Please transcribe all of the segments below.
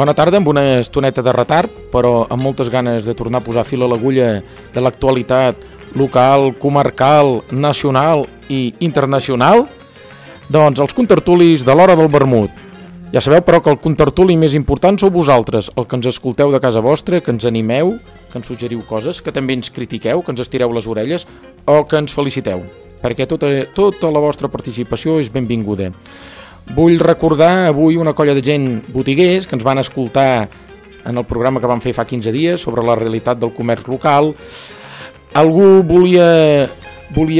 Bona tarda, amb una estoneta de retard, però amb moltes ganes de tornar a posar fil a l'agulla de l'actualitat local, comarcal, nacional i internacional. Doncs els contertulis de l'hora del vermut. Ja sabeu, però, que el contertuli més important sou vosaltres, el que ens escolteu de casa vostra, que ens animeu, que ens suggeriu coses, que també ens critiqueu, que ens estireu les orelles o que ens feliciteu, perquè tota la vostra participació és benvinguda. Vull recordar avui una colla de gent botiguers que ens van escoltar en el programa que vam fer fa 15 dies sobre la realitat del comerç local. Algú volia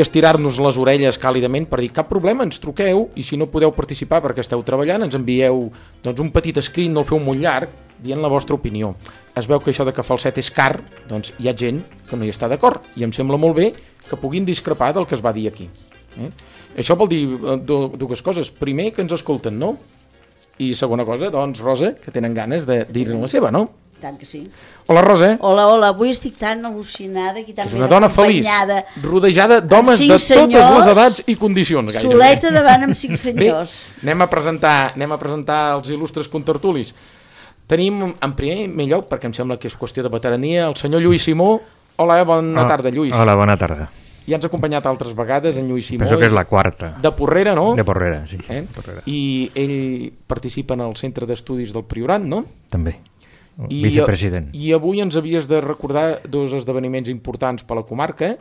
estirar-nos les orelles càlidament per dir cap problema, ens truqueu, i si no podeu participar perquè esteu treballant, ens envieu un petit escrit, no el feu molt llarg, dient la vostra opinió. Es veu que això de que falset és car, doncs hi ha gent que no hi està d'acord, i em sembla molt bé que puguin discrepar del que es va dir aquí. Això vol dir dues coses. Primer, que ens escolten, no? I segona cosa, doncs, Rosa, que tenen ganes de dir-ne la seva, no? Tant que sí. Hola, Rosa. Hola, avui estic tan al·lucinada i tan és una dona feliç, rodejada d'homes de totes les edats i condicions, gairebé. Soleta davant amb 5 senyors. Bé, anem a presentar els il·lustres contertulis. Tenim, en primer lloc, perquè em sembla que és qüestió de veterania, el senyor Lluís Simó. Hola, bona tarda, Lluís. Hola, bona tarda. Ja ens ha acompanyat altres vegades en Lluís Simó. Penso que és la quarta. De Porrera, no? De Porrera, sí. Porrera. I ell participa en el Centre d'Estudis del Priorat, no? També. Vicepresident. I avui ens havies de recordar dos esdeveniments importants per la comarca.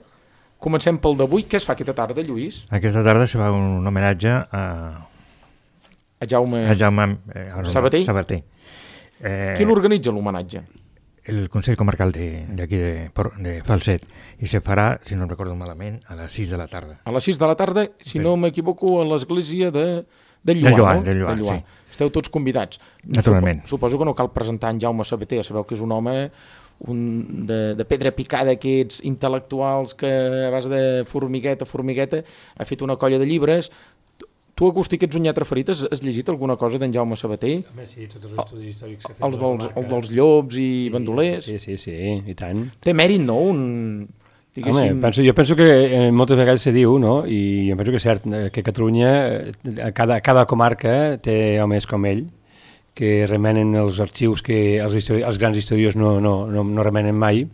Comencem pel d'avui. Què es fa aquesta tarda, Lluís? Aquesta tarda se fa un homenatge a Jaume Sabater. Qui l'organitza, l'homenatge? El Consell Comarcal d'aquí de Falset, i se farà, si no recordo malament, a les 6 de la tarda. A les 6 de la tarda, si no m'equivoco, a l'església de Lloar, no? De Lloar, sí. Esteu tots convidats. Naturalment. Suposo que no cal presentar en Jaume Sabater, sabeu que és un home de pedra picada, aquests intel·lectuals que a base de formigueta ha fet una colla de llibres. Tu, Agustí, que ets un lletra ferit, has llegit alguna cosa d'en Jaume Sabater? Home, sí, tots els estudis històrics que ha fet. Els dels llops i bandolers? Sí, i tant. Té mèrit, no? Home, jo penso que moltes vegades se diu, no? I jo penso que és cert, que Catalunya, cada comarca té homes com ell, que remenen els arxius que els grans historiadors no remenen mai,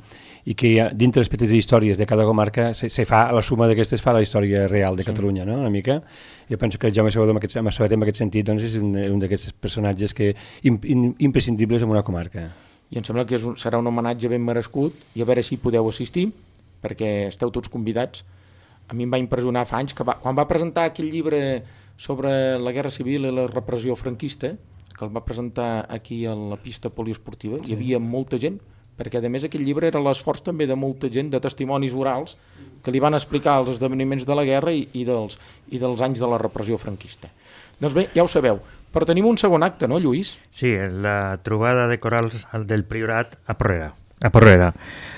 i que dintre les petites històries de cada comarca se fa, la suma d'aquestes fa la història real de Catalunya, no? Una mica. Jo penso que Jaume Sabater en aquest sentit doncs, és un d'aquests personatges imprescindibles en una comarca. I em sembla que serà un homenatge ben merescut, i a veure si podeu assistir, perquè esteu tots convidats. A mi em va impressionar fa anys que quan va presentar aquell llibre sobre la Guerra Civil i la repressió franquista, que el va presentar aquí a la pista poliesportiva, hi havia molta gent, perquè a més aquell llibre era l'esforç també de molta gent, de testimonis orals, que li van explicar els esdeveniments de la guerra i dels anys de la repressió franquista. Doncs bé, ja ho sabeu, però tenim un segon acte, no, Lluís? Sí, la trobada de corals del Priorat a Porrera.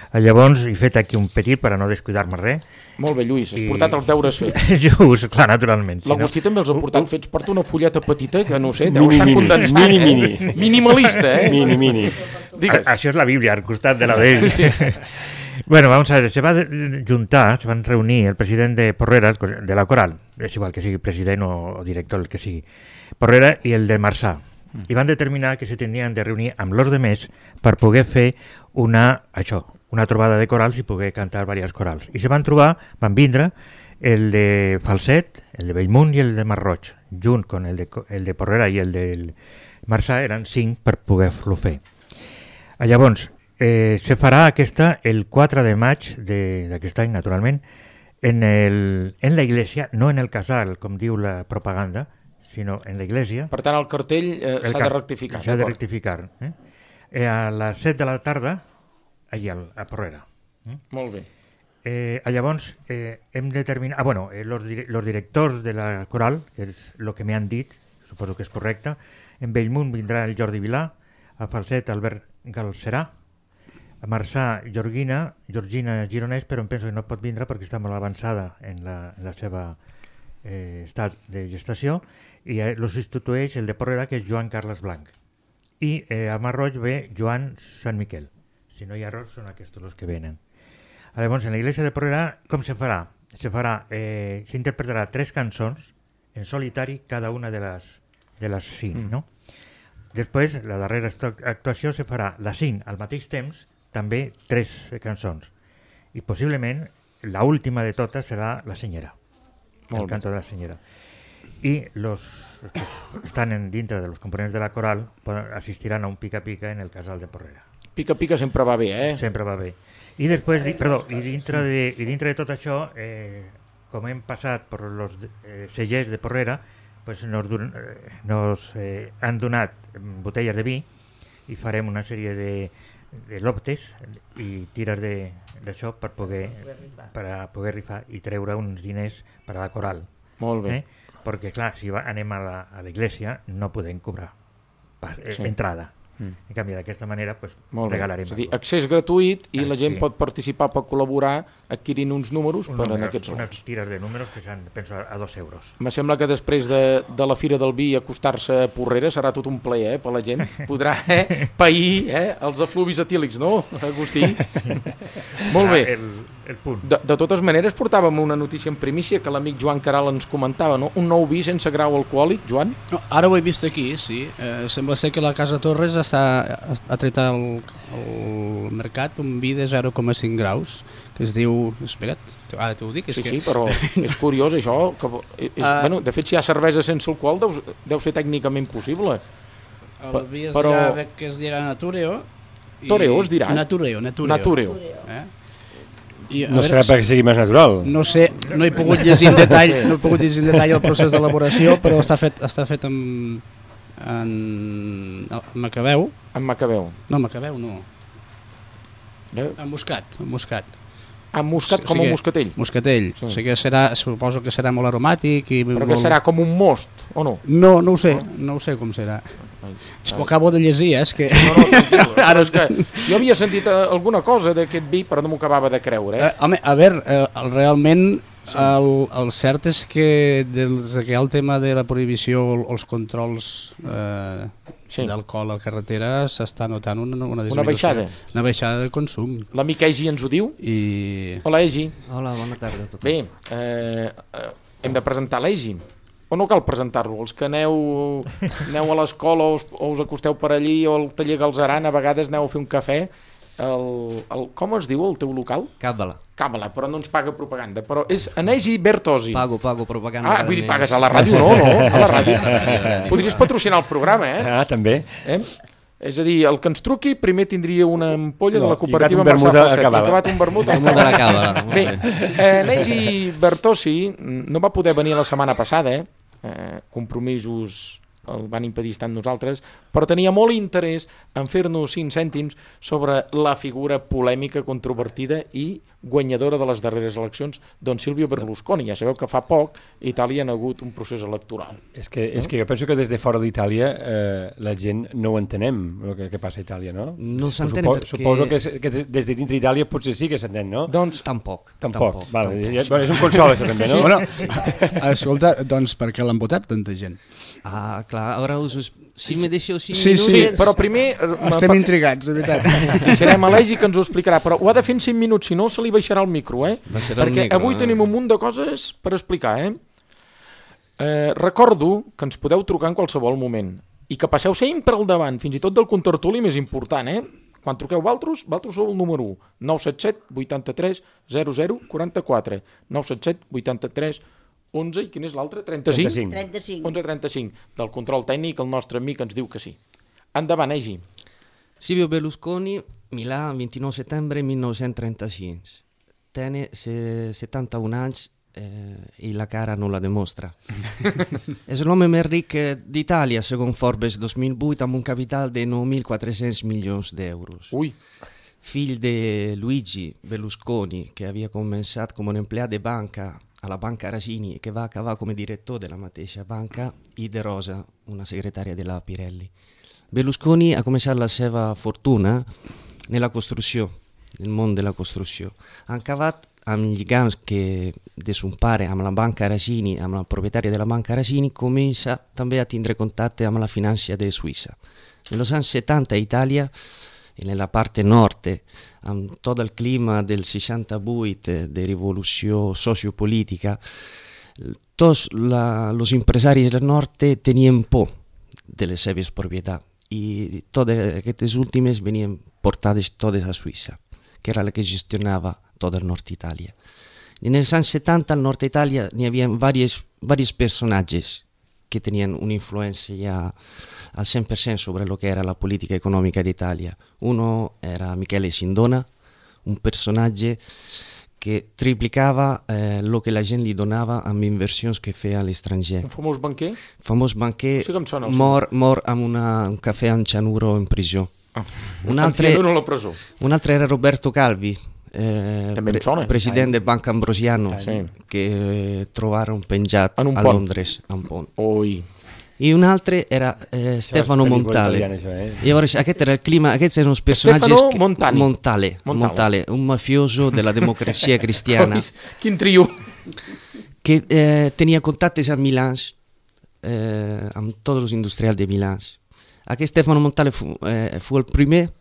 Llavors he fet aquí un petit per a no descuidar-me res. Molt bé, Lluís, has portat els deures fets. Just, clar, naturalment. L'Agustí també els ha portat fets. Porta una fulleta petita que no sé, deu estar condensat. Minimalista, eh? Mini. Això és la Bíblia, al costat de la d'ell. Bueno, vamos a ver, se van reunir el president de Porrera, de la Coral, és igual que sigui president o director, el que sigui, Porrera i el de Marçà, i van determinar que se tenien de reunir amb los demés per poder fer una trobada de corals i poder cantar diverses corals. I van vindre el de Falset, el de Bellmunt i el de Masroig, junt con el de Porrera i el de Marçà, eren 5 per poder-lo fer. Llavors, se farà aquesta el 4 de maig d'aquest any, naturalment, en la iglesia, no en el casal, com diu la propaganda, sinó en la iglesia. Per tant, el cartell s'ha de rectificar. S'ha de rectificar. A les 7 de la tarda, allà a Porrera. Molt bé. Llavors, hem determinat... los directors de la coral, que és el que m'han dit, suposo que és correcte, en Bellmunt vindrà el Jordi Vilà, a Falset Albert Galcerà, a Marçà Georgina Gironès, però em penso que no pot vindre perquè està molt avançada en la seva estat de gestació, i lo substitueix el de Porrera, que és Joan Carles Blanc, i a Masroig ve Joan Sant Miquel. Si no hi ha errors, són aquests els que venen. Llavors, en la iglesia de Porrera, com se farà? S'interpretarà 3 cançons en solitari, cada una de les 5, no? Després, la darrera actuació se farà la 5 al mateix temps, també 3 cançons. I possiblement la última de totes serà La Senyera, el canto de la Senyera. Y los que están dintre de los components de la coral assistirán a un pica-pica en el Casal de Porrera. Pica-pica sempre va bé, eh? Sempre va bé. I després, dintre de tot això, com hem passat per els cellers de Porrera, pues nos han donat botelles de vi i farem una sèrie de loptes i tires d'això per poder rifar i treure uns diners per a la coral. Molt bé. Perquè, clar, si anem a l'església no podem cobrar entrada. En canvi, d'aquesta manera regalarem. És a dir, accés gratuït i la gent pot participar, pot col·laborar adquirint uns números per en aquests lots. Unes tires de números que seran, penso, a 2 euros. Me sembla que després de la Fira del Vi acostar-se a Porrera serà tot un plaer per la gent. Podrà pair els efluvis etílics, no, Agustí? Molt bé. El punt. De totes maneres, portàvem una notícia en primícia que l'amic Joan Caral ens comentava, no? Un nou vi sense grau alcohòlic, Joan? No, ara ho he vist aquí, sí. Sembla ser que la Casa Torres ha tret al mercat un vi de 0,5 graus, que es diu... Espera't, ara t'ho dic. Sí, però és curiós això. Bueno, de fet, si hi ha cervesa sense alcohol, deu ser tècnicament possible. El vi es dirà que es dirà Natureo. Toreo es dirà? Natureo. No serà perquè sigui més natural. No sé, no he pogut llegir en detall el procés d'elaboració, però està fet amb macabeu. Amb macabeu? No, macabeu no. Amb moscat. Amb moscat com un moscatell? Moscatell. O sigui, suposo que serà molt aromàtic. Però que serà com un most, o no? No ho sé com serà. Ho acabo de llegir, és que... No, ara és que jo havia sentit alguna cosa d'aquest vi, però no m'ho acabava de creure. Home, a veure, realment el cert és que des que hi ha el tema de la prohibició, els controls d'alcohol a la carretera, s'està notant una baixada. Una baixada de consum. L'amic Egi ens ho diu? Hola, Egi. Hola, bona tarda a tothom. Bé, hem de presentar l'Egi. O no cal presentar-lo? Els que aneu a l'escola o us acosteu per allí o al taller Galzeran, a vegades aneu a fer un cafè. Com es diu el teu local? Càbala, però no ens paga propaganda. Però és Anegi Bertosi. Pago propaganda. Vull dir, pagues a la ràdio, no? A la ràdio. Podries patrocinar el programa, també. És a dir, el que ens truqui primer tindria una ampolla de la cooperativa Marçà Falset. I acabat un vermut de la Càbala. Bé, Anegi Bertosi no va poder venir la setmana passada, compromisos el van impedir estar amb nosaltres, però tenia molt interès en fer-nos 5 cèntims sobre la figura polèmica, controvertida i guanyadora de les darreres eleccions, don Silvio Berlusconi. Ja sabeu que fa poc a Itàlia ha hagut un procés electoral. És que jo penso que des de fora d'Itàlia la gent no ho entenem, el que passa a Itàlia, no? No s'entén perquè... Suposo que des de dintre d'Itàlia potser sí que s'entén, no? Doncs... Tampoc. Vale, és un consol, això també, no? Bueno, escolta, doncs per què l'han votat tanta gent? Ah, clar, ara si me deixeu 5 minuts... Sí, però primer... Estem intrigats, de veritat. Serem a l'Egi que ens ho explicarà, però ho ha de fer en 5 minuts, si no se li baixarà el micro, perquè avui tenim un munt de coses per explicar, Recordo que ens podeu trucar en qualsevol moment i que passeu sempre al davant, fins i tot del contertuli més important, Quan truqueu vosaltres sou el número 1, 977 83 00 44, 977 83 11, i quin és l'altre? 35? 11-35. Del control tècnic, el nostre amic ens diu que sí. Endavant, Egi. Silvio Berlusconi, Milà, 29 setembre 1935. Tiene 71 anys i la cara non la dimostra. És l'home més ric d'Itàlia, segons Forbes 2008, amb un capital de 9.400 milions d'euros. Ui! Fill de Luigi Berlusconi, che havia començat com un empleat de banca a la Banca Arasini e che va acabar come direttore della mateixa banca, i De Rosa, una segretaria della Pirelli. Berlusconi ha començat la seva fortuna nella costruzione, nel món de la costruzione. Ha acabat amb lligams que de son pare amb la Banca Arasini, amb la proprietària della Banca Arasini, comença també a tindre contacte amb la finança de Suïssa. Negli anni 70 a Itàlia, nella parte nord, amb tot el clima del 68 de rivolució sociopolítica, tots els empresaris del nord tenien por de les seves propietats i totes aquestes últimes venien portades totes a Suïssa, que era la que gestionava tot el nord Itàlia. I en els anys 70 al nord Itàlia n'hi havia diversos personatges que tenien una influència ja al 100% sobre lo que era la política econòmica d'Itàlia. Uno era Michele Sindona, un personatge que triplicava el que la gent li donava amb inversions que feia a l'estranger. Un famós banquer? Famós banquer, Sí que em sona, mort amb un cafè amb cianuro en presó. Un altre Cianuro a la presó. era Roberto Calvi, També em sona. president de Banca Ambrosiano, Sí. que trobaron penjat En un a pont. Londres, a un pont. Ui. I un altre era Stefano Montale. Llavors, aquest era el clima, aquests eren els personatges... Stefano Montale, un mafioso de la democràcia cristiana, Quin trio. que tenia contactes amb Milà, amb tots els industrials de Milà. Aquest Stefano Montale fu el primer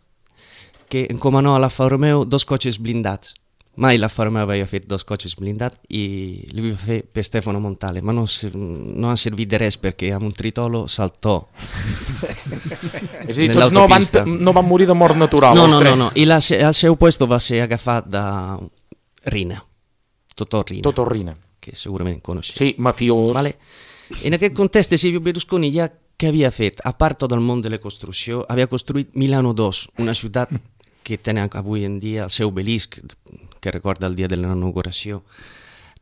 que encomanò a l'Alfa Romeo 2 cotxes blindats. Mai l'Alfa Romeo aveva fet 2 cotxes blindats i li va fer per Stefano Montale, ma non ha servit de res perquè amb un tritolo saltò. És a dir, tots no van morir de mort natural. No. I al seu puesto va ser agafat de Rina, Totò Rina, que segurament coneixeu. Sí, mafiós. Vale. En aquest context, Silvio Berlusconi ja què havia fet? A part tot el món de la construcció, havia construït Milano 2, una ciutat que tenen avui en dia el seu obelisc, que recorda el dia de l'inauguració.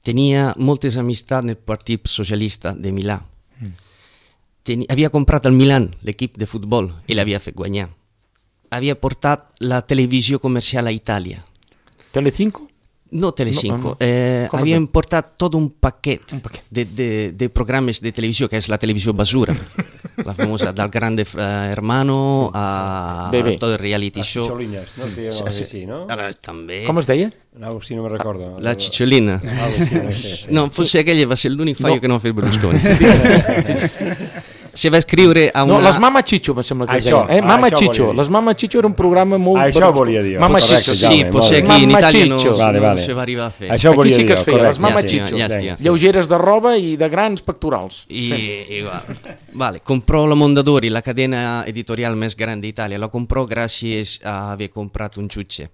Tenia moltes amistats en el Partit Socialista de Milà. Havia comprat el Milan, l'equip de futbol, i l'havia fet guanyar. Havia portat la televisió comercial a Itàlia. Telecinco? No Telecinco, No. havien portat tot un paquet de programes de televisió, que és la televisió basura, la famosa del Grande Hermano a tot el reality show. Cicciolines, no? Sí, no? També. Com es deia? No, si no me recordo. La Cicciolina. Sí. No, potser aquell va ser l'únic fallo que no va fer Berlusconi. Se va escriure a una... No, les Mama Chicho, em sembla que es Això, deien. Mama això Chicho. volia dir. Les Mama Chicho era un programa molt... Això volia dir. Mama Correcte, Chicho. Sí, Jaume, potser molt aquí en Mama Itàlia no, Chicho. no se va arribar a fer. Això Aquí volia sí que dir, es feia, les Mama correcte. Chicho. Ja estia. Lleugeres de roba i de grans pectorals. Vale, comprò la Mondadori, la cadena editorial més gran d'Itàlia. La comprò gràcies a haver comprat un jutge.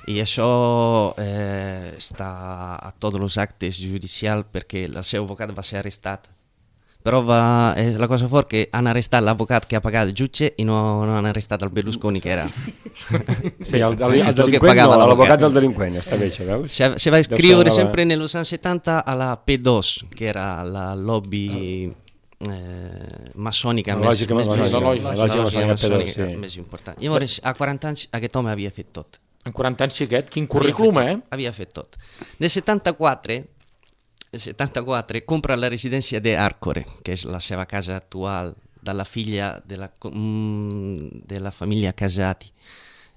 I això està a tots els actes judicials perquè el seu advocat va ser arrestat. Però la cosa fort que han arrestat l'advocat que ha pagat el jutge i no han arrestat el Berlusconi, que era... Sí, el delinqüent no, l'advocat del delinqüent, està bé això, veus? Se va escriure sempre en els anys 70 a la P2, que era la lobby maçònica més important. Llavors, a 40 anys aquest home havia fet tot. En 40 anys, xiquet, quin currículum, Havia fet tot. Nel 74 compra la residència d'Arcore, que és la seva casa actual, de la filla de la família Casati.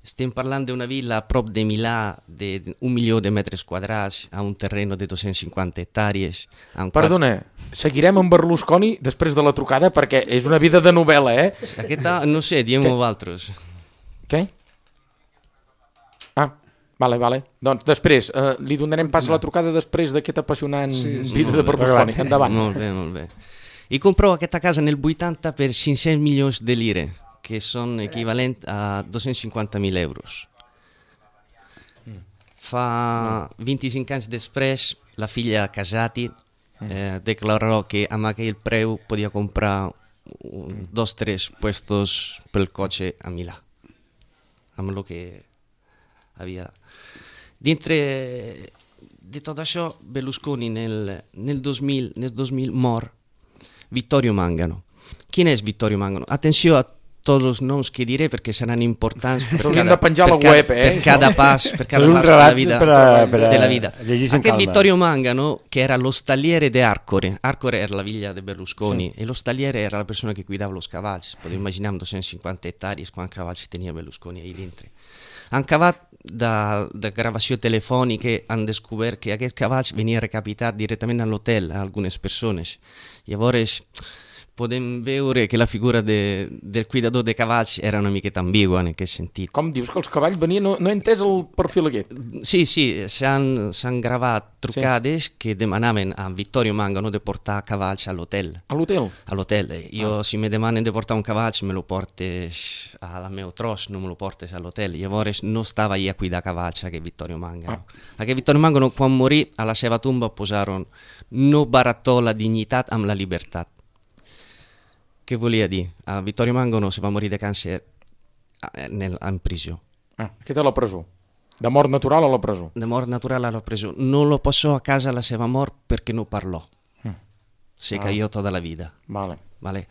Estem parlant d'una villa a prop de Milà de 1 milió de metres quadrats, a un terreno de 250 hectàrees. Perdona, seguirem amb Berlusconi després de la trucada perquè és una vida de novel·la, Aquesta, no sé, diem-ho vosaltres. Què? Vale. Doncs després, li donarem pas a la trucada després d'aquesta apassionant vida de Berlusconi. Endavant. Molt bé. I comprò aquesta casa en el 80 per 500 milions de lire, que són equivalent a 250.000 euros. Fa 25 anys després, la filla Casati declarò que amb aquell preu podia comprar 2 o 3 puestos pel cotxe a Milà, amb el que havia... Dintre de tot això, Berlusconi nel 2000 mor Vittorio Mangano. Qui és Vittorio Mangano? Atenció a tots els noms que diré perquè seran importants per cada pas de la vida. Aquest Vittorio Mangano, que era l'ostagliere de Arcore. Arcore era la villa de Berlusconi e l'ostagliere era la persona que cuidava els cavalls. Podeu imaginar amb 250 hectàrees quants cavalls tenia Berlusconi ahí dintre. Han acabat de gravació telefònica, han descobert que aquests cavalls venia recapitat directament a l'hotel a algunes persones. Llavors, podem veure que la figura del cuidador de cavalls era una miqueta ambigua en aquest sentit. Com dius que els cavalls venien? No he entès el perfil aquest. Sí, s'han gravat trucades que demanaven a Vittorio Mangano de portar cavalls a l'hotel. A l'hotel? A l'hotel. Jo, si me demanen de portar un cavall, me lo portes al meu tros, no me lo portes a l'hotel. Llavors no estava allà a cuidar cavalls aquest Vittorio Mangano. Aquest Vittorio Mangano, quan morí, a la seva tomba posaron no baratò la dignitat amb la llibertat. Què volia dir? Vittorio Mangano se va morir de càncer en presó. Aquest a la presó. De mort natural a la presó. De mort natural a la presó. No lo passò a casa la seva mort perquè no parlò. Se cayó tota la vida. Vale.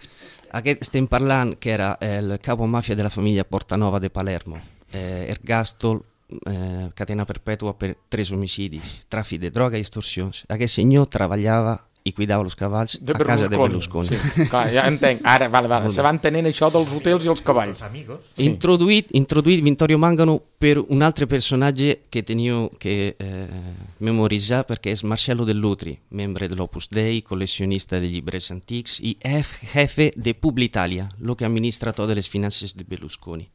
Aquest estem parlant que era el capo mafia de la famiglia Portanova de Palermo. Ergastol, catena perpètua per 3 homicidis, tràfic de droga i extorsions. Aquest senyor treballava i cuidava els cavalls a casa de Berlusconi. Sí, clar, ja entenc. Ara, vale. Se va entenent això dels hotels i els cavalls. Sí. Introduït Vittorio Mangano per un altre personatge que teniu que memoritzar perquè és Marcello Dell'Utri, membre dell'Opus Dei, colleccionista de llibres antics i jefe de Publitalia, lo que administra totes les finances de Berlusconi.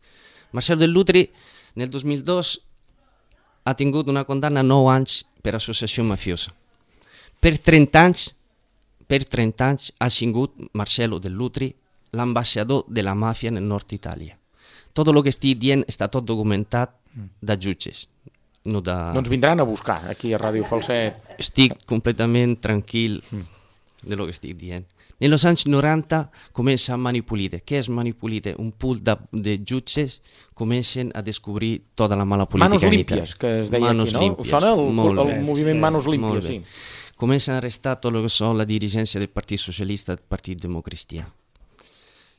Marcello Dell'Utri nel 2002 ha tingut una condanna a 9 anys per associació mafiosa. Per 30 anys ha sigut Marcello Dell'Utri l'ambassador de la màfia nel nord Itàlia. Tot el que estic dient està tot documentat de jutges. No de... Doncs vindran a buscar aquí a Ràdio Falset. Estic completament tranquil de lo que estic dient. En els anys 90 comença a Manipulite. Què és Manipulite? Un pool de jutges comencen a descobrir tota la mala política en Itàlia. Manos Limpias, que es deia aquí, no? Us sona el moviment Manos Limpias, sí. Comencen a arrestar tot el que són la dirigència del Partit Socialista i del Partit Democristià.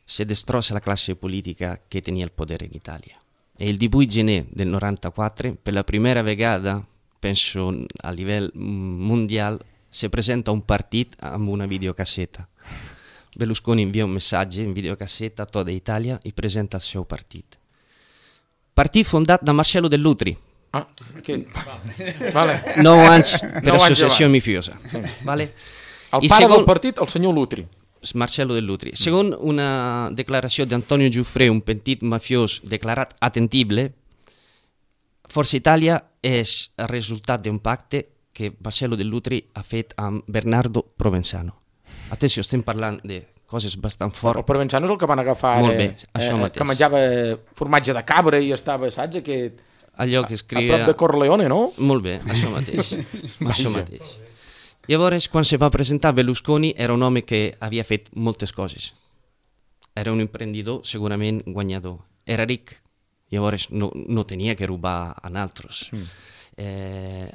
Se destrossa la classe politica che tenia il potere in Italia. E il 18 gener del 94, per la prima vegada, penso a livello mondiale, si presenta un partit amb una videocassetta. Berlusconi invia un messaggio in videocassetta a tutta Italia e presenta il suo partito. Partit fondat da Marcello Dell'Utri. Vale. 9 anys per associació mafiosa. Sí. Vale. El pare del partit, el senyor Lutri. Marcello Dell'Utri. Segons una declaració d'Antonio Giuffre, un petit mafiós declarat attendibile, Forza Italia és el resultat d'un pacte que Marcello Dell'Utri ha fet amb Bernardo Provenzano. Atenció, estem parlant de coses bastant fortes. El Provenzano és el que van agafar molt bé, això mateix. Que menjava formatge de cabra i estava, saps, allò que escrivia... a prop de Corleone, no? Molt bé, això mateix. Això mateix. Llavors, quan se va presentar Berlusconi, era un home que havia fet moltes coses. Era un emprendedor segurament guanyador. Era ric, llavors no tenia que robar a altres.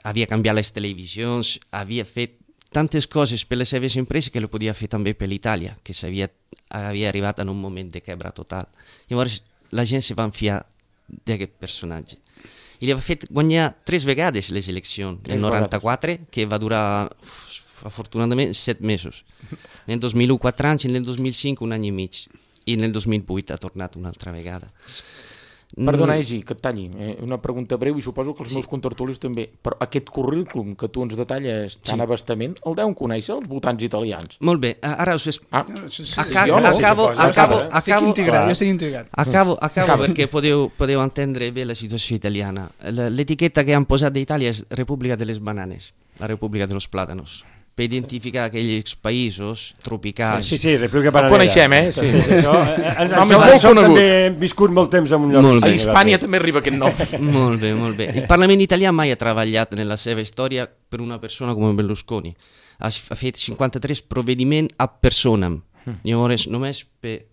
Havia canviat les televisions, havia fet tantes coses per les seves empreses que le podia fer també per l'Itàlia, que havia arribat en un moment de quebra total. Llavors la gent se va enfiar d'aquest personatge. I li va fet guanyar 3 vegades les eleccions, el 94, que va durar afortunadament 7 mesos. En el 2001 4 anys, en el 2005 un any i mig, i en el 2008 ha tornat una altra vegada. Perdona, Egi, que et talli. Una pregunta breu i suposo que els meus contertulis també. Però aquest currículum que tu ens detalles tan abastament, el deuen conèixer els votants italians? Molt bé, ara us acabo, estic intrigat. Acabo perquè podeu entendre bé la situació italiana. L'etiqueta que han posat d'Itàlia és República de les Bananes, la República de los Plátanos, per identificar aquells països tropicals. Sí, República Bananera. El coneixem, eh? Sí. Això també hem viscut molt temps en un lloc. A Hispània també arriba aquest nom. Molt bé. El Parlament italià mai ha treballat en la seva història per una persona com Berlusconi. Ha fet 53 provvedimenti a personam. Llavors, només per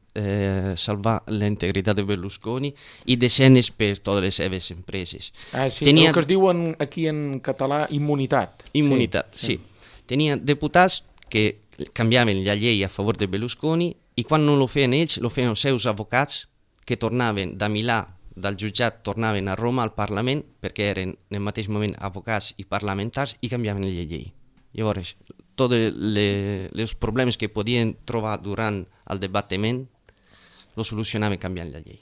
salvar la integritat de Berlusconi i desenes per totes les seves empreses. El que es diu aquí en català immunitat. Immunitat, sí. Tenia diputats que canviaven la llei a favor de Berlusconi i quan no lo feien ells, lo feien els seus advocats que tornaven de Milà, del jutjat, tornaven a Roma al Parlament perquè eren en el mateix moment advocats i parlamentars i canviaven la llei. Llavors, tots els problemes que podien trobar durant el debatiment lo solucionaven canviant la llei.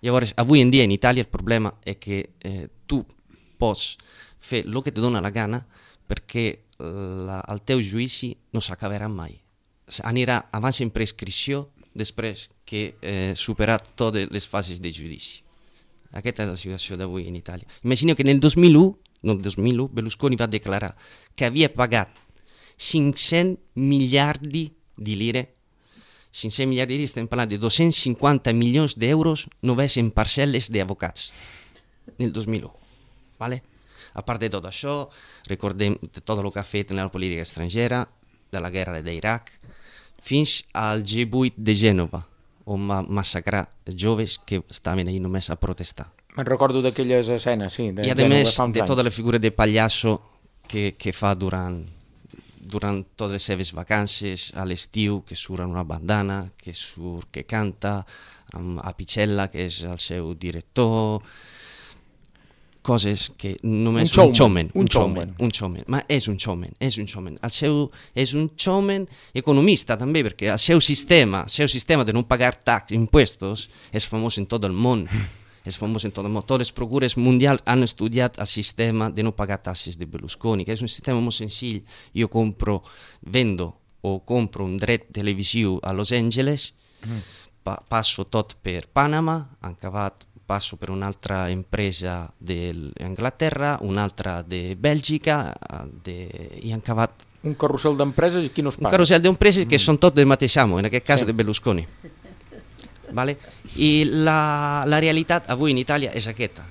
Llavors, avui en dia en Itàlia el problema és que tu pots fer el que et dona la gana perquè el teu judici no s'acabarà mai. anirà abans en prescripció després que superar totes les fases de judici. Aquesta és la situació d'avui en Itàlia. Imagineu que nel 2001 Berlusconi va declarar que havia pagat 500 miliardi di lire. 500 miliardi di lire, estem parlant de 250 milions d'euros només en parcel·les d'advocats nel 2001. Vale? A part de tot això, recordem tot el que ha fet en la política estrangera, de la guerra d'Iraq, fins al G8 de Gènova, on va massacrar joves que estaven ahí només a protestar. Me'n recordo d'aquelles escenes, sí. I a més de tota la figura de pallasso que fa durant totes les seves vacances, a l'estiu, que surt amb una bandana, que canta, amb Apicella, que és el seu director, coses que només un showman. Ma és un showman. És un showman economista també, perquè el seu sistema de no pagar impuestos és famós en tot el món. Totes les procures mundials han estudiat el sistema de no pagar taxes de Berlusconi, que és un sistema molt senzill. Jo vendo un dret televisiu a Los Angeles, passo tot per Panama, passo per un'altra empresa d'Anglaterra, un'altra de Bèlgica, i han acabat... Un carrusel d'empreses i qui no es paga? Un carrusel d'empreses que són tot del mateix amo, en aquest cas de Berlusconi. Vale? I la realitat avui en Itàlia és aquesta,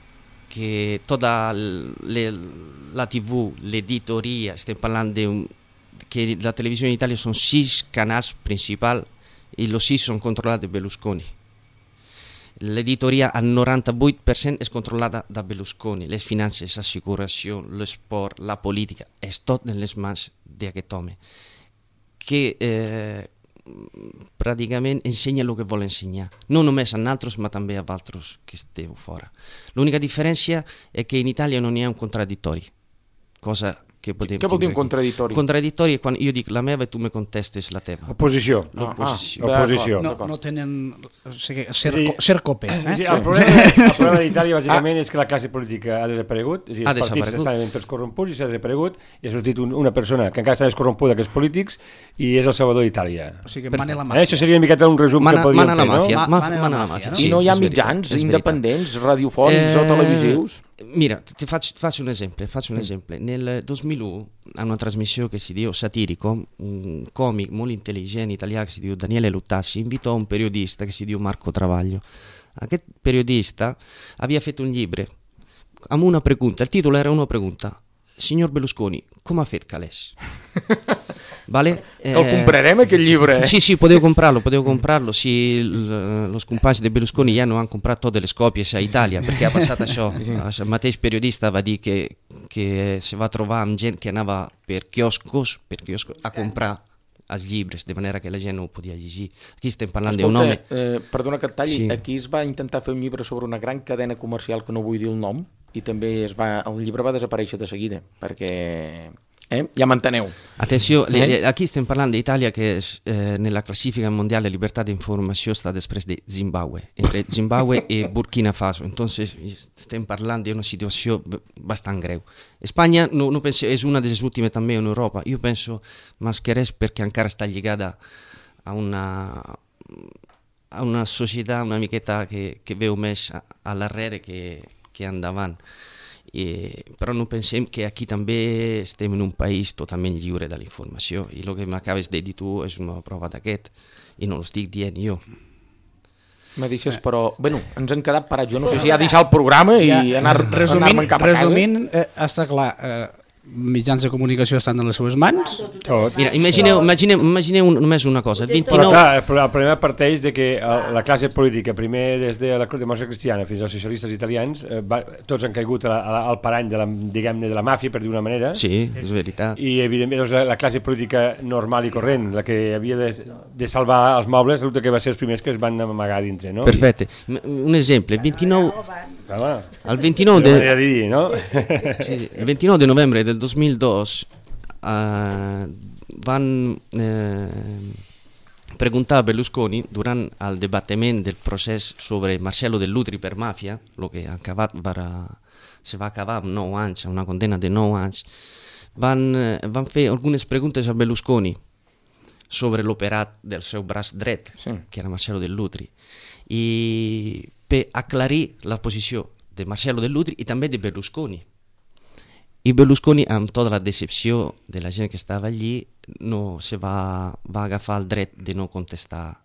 que tota la TV, l'editoria, estem parlant que la televisió in Itàlia són 6 canals principals i els 6 són controlats de Berlusconi. L'editoria al 98% és controlada da Berlusconi, les finances, l'assicuració, l'esport, la política, és tot en les mans d'aquest home, que pràcticament ensenya el que vol ensenyar, no només a nosaltres, ma també a altres que esteu fora. L'única diferència és que in Itàlia non hi ha un contraddittori, cosa que podem... Què vol dir un contraddittori? Contraddittori és quan jo dic la meva i tu me contestes la teva. Oposició. L'oposició. No tenen... Ser cope. El problema d'Itàlia bàsicament és que la classe política ha desaparegut, és a dir, els partits estaven tots corromputs i s'ha desaparegut i ha sortit una persona que encara està més corrompuda que els polítics i és el salvador d'Itàlia. O sigui, mana la màfia. Això seria una miqueta un resum que podríem fer, no? Mana la màfia. I no hi ha mitjans independents, radiofònics o televisius? Mira, ti faccio un esempio. Nel 2001, a una trasmissione che si dice satirico, un comico molto intelligente italiano che si dice Daniele Luttassi invitò un periodista che si dice Marco Travaglio. Aquest periodista aveva fatto un libro amb una pregunta, il titolo era una pregunta: Signor Berlusconi, com ha fet calés? Vale? El comprarem aquest llibre? Sí, podeu comprarlo. Sí, els companys de Berlusconi ja no han comprat totes les còpies a Itàlia, perquè ha passat això. El mateix periodista va dir que se va trobar amb gent que anava per quioscos a comprar els llibres, de manera que la gent no ho podia llegir. Aquí estem parlant d'un home... Perdona que et talli, aquí es va intentar fer un llibre sobre una gran cadena comercial que no vull dir el nom, i també el llibre va desaparèixer de seguida, perquè... Ja m'enteneu. Atenció, aquí estem parlant d'Itàlia que nella classifica mondiale libertà d'informació està després de Zimbabue, entre Zimbabue i Burkina Faso. Entonces estem parlant d'una situació bastant greu. Espanya no penso, és una de les últimes també en Europa. Jo penso més que res perquè encara està lligada a una societat una miqueta que veu més a l'arrere que endavant. Però no pensem que aquí també estem en un país totalment lliure de la informació i el que m'acabes de dir tu és una prova d'aquest i no ho estic dient jo. Me deixes, però... Bueno, ens han quedat parats. Jo no sé si ha deixat el programa i anar-me'n cap a casa. Resumint, està clar... mitjans de comunicació estan en les seves mans. Mira, imagineu només una cosa. Però clar, el problema parteix de que la classe política, primer des de la democràcia cristiana fins als socialistes italians, tots han caigut al parany de la màfia, per dir una manera. Sí, és veritat. I evidentment la classe política normal i corrent, la que havia de salvar els mobles, resulta que va ser els primers que es van amagar dintre, no? Perfecte. Un exemple, el 29 de novembre del 2002 van preguntar a Berlusconi durant el debattiment del procés sobre Marcello Dell'Utri per màfia, el que se va acabar amb 9 anys, una condemna de 9 anys, van fer algunes preguntes a Berlusconi sobre l'operat del seu braç dret, Sí. que era Marcello Dell'Utri, i per aclarir la posició de Marcello Dell'Utri i també de Berlusconi. I Berlusconi, amb tota la decepció de la gent que estava allí, no se va agafar el dret de no contestar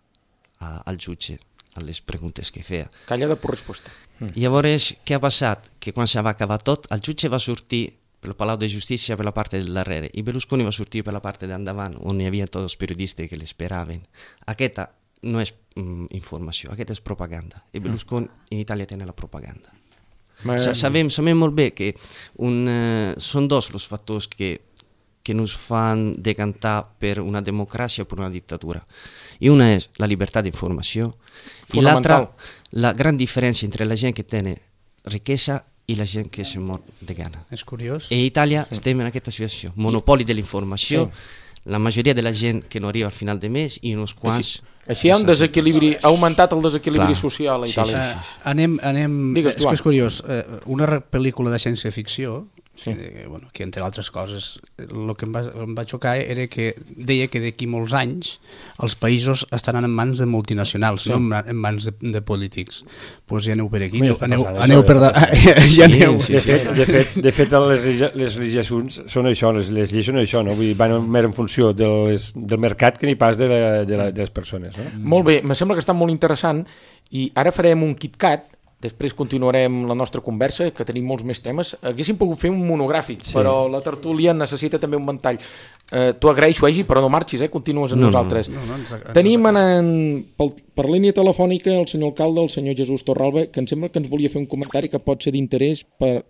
al jutge a les preguntes que feia. Callada per resposta. Llavors, què ha passat? Que quan se va acabar tot, el jutge va sortir pel Palau de Justícia per la part del darrere i Berlusconi va sortir per la part d'endavant, on hi havia tots els periodistes que l'esperaven. Aquesta no és informació, aquesta és propaganda. I Berlusconi in Italia tiene la propaganda. Sabem molt bé que són dos els factors que nos fan decantar per una democràcia o per una dictadura. I una és la llibertat d'informació i l'altra, la gran diferència entre la gent que té riquesa i la gent que se mor de gana. És curiós. I a Itàlia estem en aquesta situació. Monopoli de la informació, la majoria de la gent que no arriba al final de mes i uns quants... Així hi ha un desequilibri, ha augmentat el desequilibri social a Itàlia. És que és curiós, una pel·lícula de ciència-ficció, que entre altres coses el que em va xocar era que deia que d'aquí molts anys els països estaran en mans de multinacionals, no en mans de polítics. Doncs ja aneu per aquí, aneu per... De fet, les legislacions són això, les lleis són això, no? Vull dir, van més en funció del mercat que ni pas de les persones. No? Molt bé, me sembla que està molt interessant i ara farem un KitKat. Després continuarem la nostra conversa, que tenim molts més temes. Haguéssim pogut fer un monogràfic, però la tertúlia necessita també un ventall. T'ho agraeixo, Egi, però no marxis, continues amb nosaltres. Tenim per línia telefònica el senyor alcalde, el senyor Jesús Torralba, que em sembla que ens volia fer un comentari que pot ser d'interès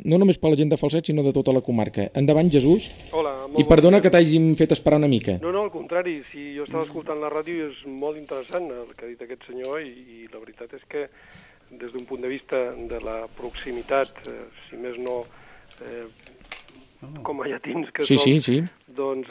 no només per la gent de Falset, sinó de tota la comarca. Endavant, Jesús. Hola. I perdona que t'hàgim fet esperar una mica. No, al contrari. Si jo estava escoltant la ràdio i és molt interessant el que ha dit aquest senyor i la veritat és que des d'un punt de vista de la proximitat, si més no com a llatins que som, doncs...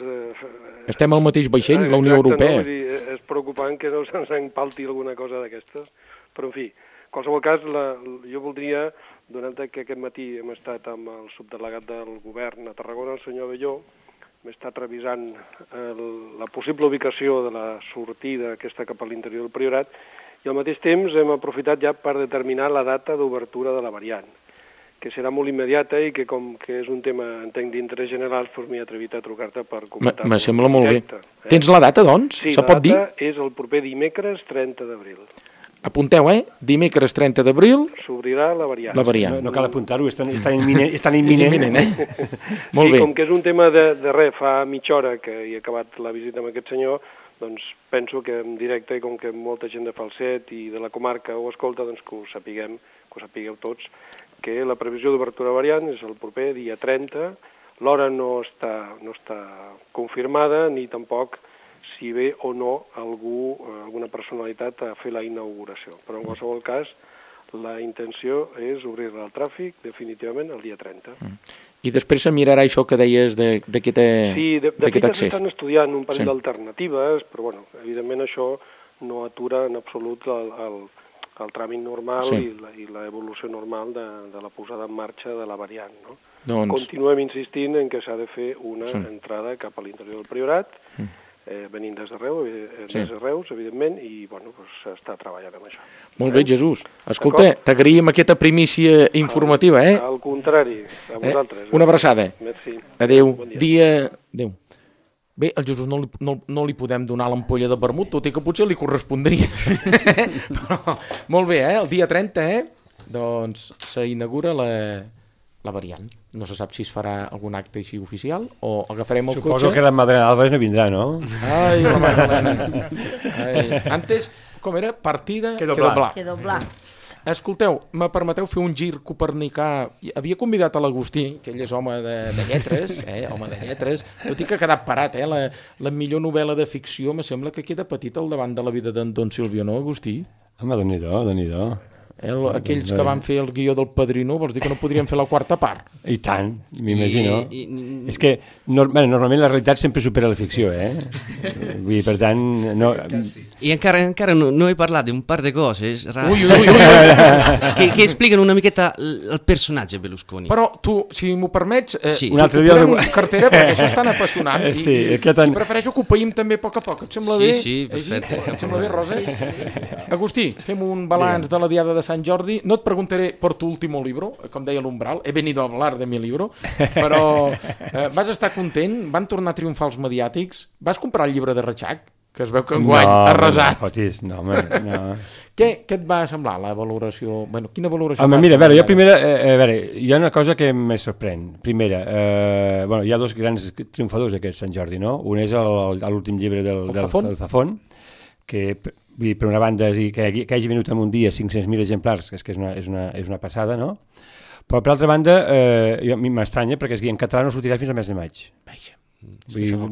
Estem al mateix vaixell, la Unió Europea. No? Vull dir, és preocupant que no se'ns empalti alguna cosa d'aquestes, però en fi, en qualsevol cas, jo voldria, donant que aquest matí hem estat amb el subdelegat del govern a Tarragona, el senyor Abelló, hem estat revisant la possible ubicació de la sortida aquesta cap a l'interior del Priorat, i al mateix temps hem aprofitat ja per determinar la data d'obertura de la variant, que serà molt immediata i que com que és un tema, entenc, d'interès general, doncs m'he atrevit a trucar-te per comentar-ho. Me sembla molt bé. Tens la data, doncs? Sí, se pot dir? La data és el proper dimecres 30 d'abril. Apunteu, Dimecres 30 d'abril... S'obrirà la variant. No cal apuntar-ho, és tan imminent. És imminent, Molt bé. Sí, com que és un tema de res, fa mitja hora que he acabat la visita amb aquest senyor, doncs penso que en directe, i com que molta gent de Falset i de la comarca ho escolta, doncs que ho sapigueu tots, que la previsió d'obertura variant és el proper dia 30, l'hora no està confirmada, ni tampoc si ve o no alguna personalitat a fer la inauguració. Però en qualsevol cas, la intenció és obrir-la al tràfic definitivament el dia 30. I després se mirarà això que deies d'aquest accés. Sí, de fet s'estan estudiant un parell d'alternatives, però bueno, evidentment això no atura en absolut el tràmit normal i l'evolució normal de la posada en marxa de la variant. No? Continuem insistint en que s'ha de fer una entrada cap a l'interior del Priorat, venint des de Reus, evidentment, i bueno, s'està treballant amb això. Molt bé, Jesús. Escolta, t'agraïm aquesta primícia informativa, Al contrari, a vosaltres. Una abraçada. Merci. Adéu. Adéu. Bé, al Jesús no li podem donar l'ampolla de vermut, tot i que potser li correspondria. Però, molt bé, el dia 30, doncs s'inaugura la variant. No se sap si es farà algun acte així oficial o agafarem el cotxe... Suposo que la Madalena Álvarez no vindrà, no? Ai, la Madalena. Antes, com era? Partida que doblar. Escolteu, me permeteu fer un gir copernicà? Havia convidat a l'Agustí, que ell és home de lletres, home de lletres, tot i que ha quedat parat, la millor novel·la de ficció, me sembla que queda petit al davant de la vida d'en Don Silvio, no, Agustí? Home, Déu-n'hi-do. Aquells que van fer el guió del Padrino, vols dir que no podrien fer la quarta part? I tant, m'imagino. És que normalment la realitat sempre supera la ficció, Vull dir, per tant... No... I encara no he parlat d'un par de coses que expliquen una miqueta el personatge Berlusconi. Però tu, si m'ho permets, un altre dia cartera, perquè això és tan apassionant. I prefereixo que ho païm també a poc a poc. Et sembla bé? Sí, perfecte. Et sembla bé, Rosa? Agustí, fem un balanç de la Diada de Sant Jordi. No et preguntaré por tu último libro, com deia l'Umbral, he venido a hablar de mi libro, però vas estar content? Van tornar a triomfar els mediàtics? Vas comprar el llibre de Reixac? Que es veu que enguany ha resat. No, no. Què et va semblar la valoració? Bueno, quina valoració? Home, mira, a veure, hi ha una cosa que me sorprèn. Primera, hi ha dos grans triomfadors d'aquest Sant Jordi, no? Un és l'últim llibre del Zafón, que per una banda que hagi venut en un dia 500.000 exemplars, és que és una passada, no? Però per altra banda, a mi m'estranya perquè en català no sortirà fins al mes de maig. Vaja.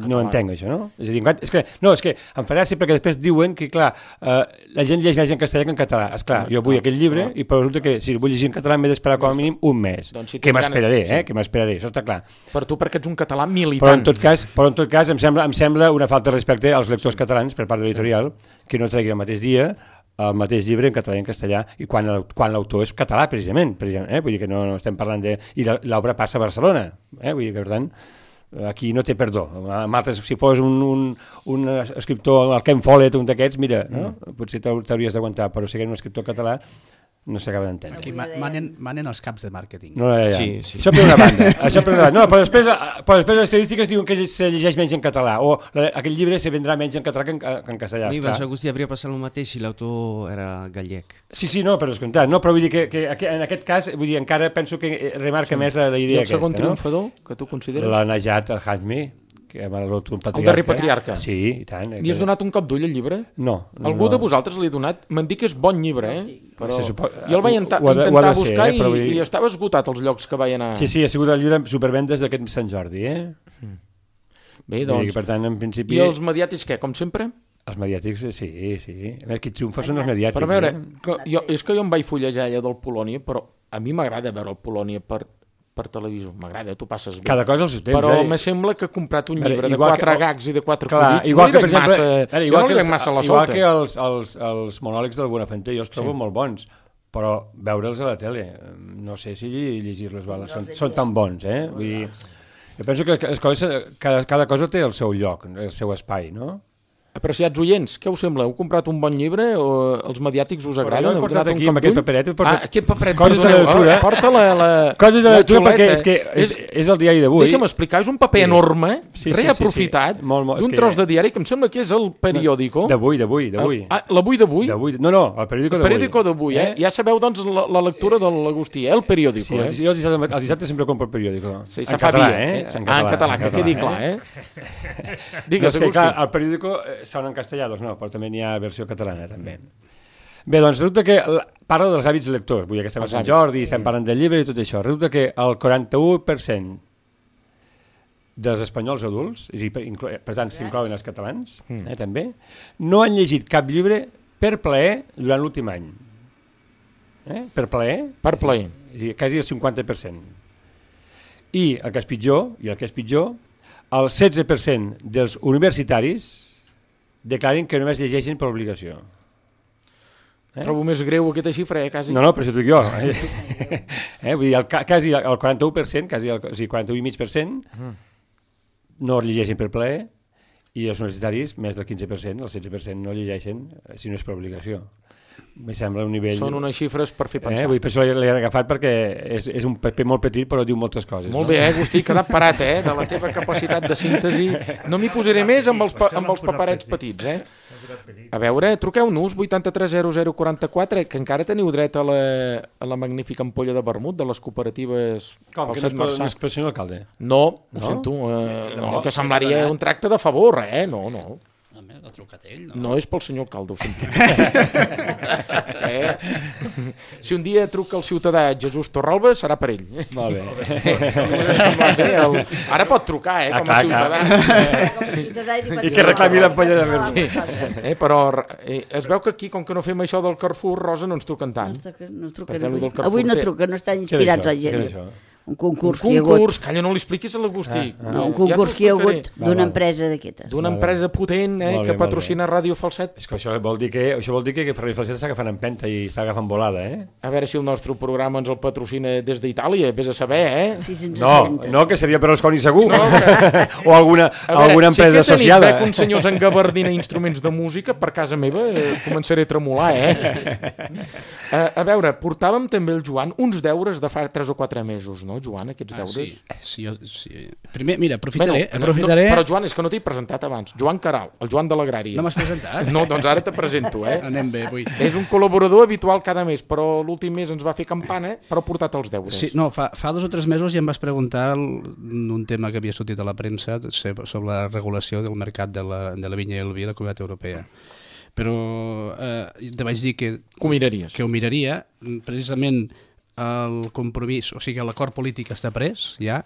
No entenc això, no? És que em farà gràcia perquè després diuen que, clar, la gent llegeix més en castellà que en català. Esclar, jo vull aquell llibre i però resulta que si el vull llegir en català m'he d'esperar com a mínim un mes. Que m'esperaré, això està clar. Per tu perquè ets un català militant. Però en tot cas em sembla una falta de respecte als lectors catalans per part de l'editorial que no tregui el mateix dia el mateix llibre en català i en castellà i quan l'autor és català, precisament. Vull dir que no estem parlant de... I l'obra passa a Barcelona. Vull dir que, per tant... Aquí no té perdó. Si fos un escriptor, el Ken Follett, un d'aquests, mira, no? Potser t'hauries d'aguantar, però si eres un escriptor català no s'acaba d'entendre. Aquí manen els caps de màrqueting. No, ja. Sí. Això per una banda. No, però després les estadístiques diuen que se llegeix menys en català o aquell llibre se vendrà menys en català que en castellà. A mi penso, Agustí, hauria passat el mateix si l'autor era gallec. Sí, no, per descomptat. No, però vull dir que en aquest cas encara penso que remarca més la idea aquesta. I el segon triomfador que tu consideres? La Najat el-Hajmi, que el darrer patriarca. Sí, i tant. Li has donat un cop d'ull al llibre? No. Algú de vosaltres li ha donat? M'han dit que és bon llibre, però jo el vaig intentar buscar i estava esgotat els llocs que vaig anar. Sí, ha sigut el llibre amb supervendes d'aquest Sant Jordi, Bé, doncs. Per tant, en principi... I els mediàtics què, com sempre? Els mediàtics, sí. A veure, qui triomfa són els mediàtics. Però a veure, és que jo em vaig fullejar allò del Polònia, però a mi m'agrada veure el Polònia per televisió, m'agrada, tu passes bé. Cada cosa al seu temps. Però me sembla que he comprat un llibre de 4 gags i de 4 cosits. Igual que, per exemple, igual que els monòlegs del Buenafuente jo els trobo molt bons, però veure'ls a la tele, no sé si llegir-los són tan bons, Vull dir, jo penso que cada cosa té el seu lloc, el seu espai, no? Apreciats oients, què us sembla? Heu comprat un bon llibre o els mediàtics us agraden? Jo he portat aquí amb aquest paperet. Aquest paperet, perdoneu. Porta coses de lectura perquè és el diari d'avui. Deixa'm explicar, és un paper enorme, reaprofitat, d'un tros de diari que em sembla que és el periòdico. D'avui. L'avui d'avui? No, el periòdico d'avui. El periòdico d'avui, Ja sabeu, doncs, la lectura de l'Agustí, el periòdico. Jo els dissabtes sempre compro el periòdico. Sí, se fa via, en català, que quedi clar, Digues, Agustí. El periòdico són en castellà, doncs no, però també n'hi ha versió catalana, també. Bé, doncs resulta que parla dels hàbits lectors, vull dir que estem a Sant Jordi, estem parlant del llibre i tot això. Resulta que el 41% dels espanyols adults, és a dir, per tant s'inclouen els catalans, també, no han llegit cap llibre per plaer durant l'últim any. Per plaer? Per plaer. És a dir, quasi el 50%. I el que és pitjor, el 16% dels universitaris declaren que només llegeixen per obligació. Trobo més greu aquesta xifra, quasi. No, però això t'ho dic jo. Vull dir, quasi el 41%, quasi el 41,5%, no llegeixen per plaer, i els universitaris, més del 15%, el 16% no llegeixen si no és per obligació. Me sembla un nivell... Són unes xifres per fer pensar. Per això l'he agafat perquè és un paper molt petit però diu moltes coses. Molt bé, Agustí, quedat parat, de la teva capacitat de síntesi. No m'hi posaré més amb els paperets petits, A veure, truqueu-nos 830044, que encara teniu dret a la magnífica ampolla de vermut de les cooperatives... Com, que no és per senyor alcalde? No, ho sento, que semblaria un tracte de favor, no. l'ha trucat ell, no? No és pel senyor alcalde, ho sento. Si un dia truca el ciutadà Jesús Torralba, serà per ell. Molt bé. Ara pot trucar, com a ciutadà. I que reclami l'ampolla de vermut. Sí. Però es veu que aquí, com que no fem això del Carrefour, Rosa, no ens truquen tant. No truquen avui no truquen, no estan inspirats la gent. Un concurs que hi ha hagut. Calla, no li expliquis a l'Agustí. Un concurs que hi ha hagut d'una empresa d'aquestes. D'una empresa potent que patrocina Ràdio Falset. És que això vol dir que Ràdio Falset està agafant empenta i està agafant volada, A veure si el nostre programa ens el patrocina des d'Itàlia, vés a saber, No, que seria per als Coni segur. O alguna empresa associada. Si aquest un senyor s'engabardina instruments de música, per casa meva començaré a tremolar, A veure, portàvem també el Joan uns deures de fa 3 o 4 mesos, no, Joan, aquests deures? Sí. Primer, mira, aprofitaré... Però, Joan, és que no t'he presentat abans. Joan Caral, el Joan de l'Agrària. No m'has presentat? No, doncs ara te presento, Anem bé, avui. És un col·laborador habitual cada mes, però l'últim mes ens va fer campana, però ha portat els deures. Sí, no, fa 2 o 3 mesos ja em vas preguntar un tema que havia sortit a la premsa sobre la regulació del mercat de la vinya i el vi a la Comunitat Europea. Però te vaig dir que ho miraria, precisament el compromís, o sigui, l'acord polític està pres, ja,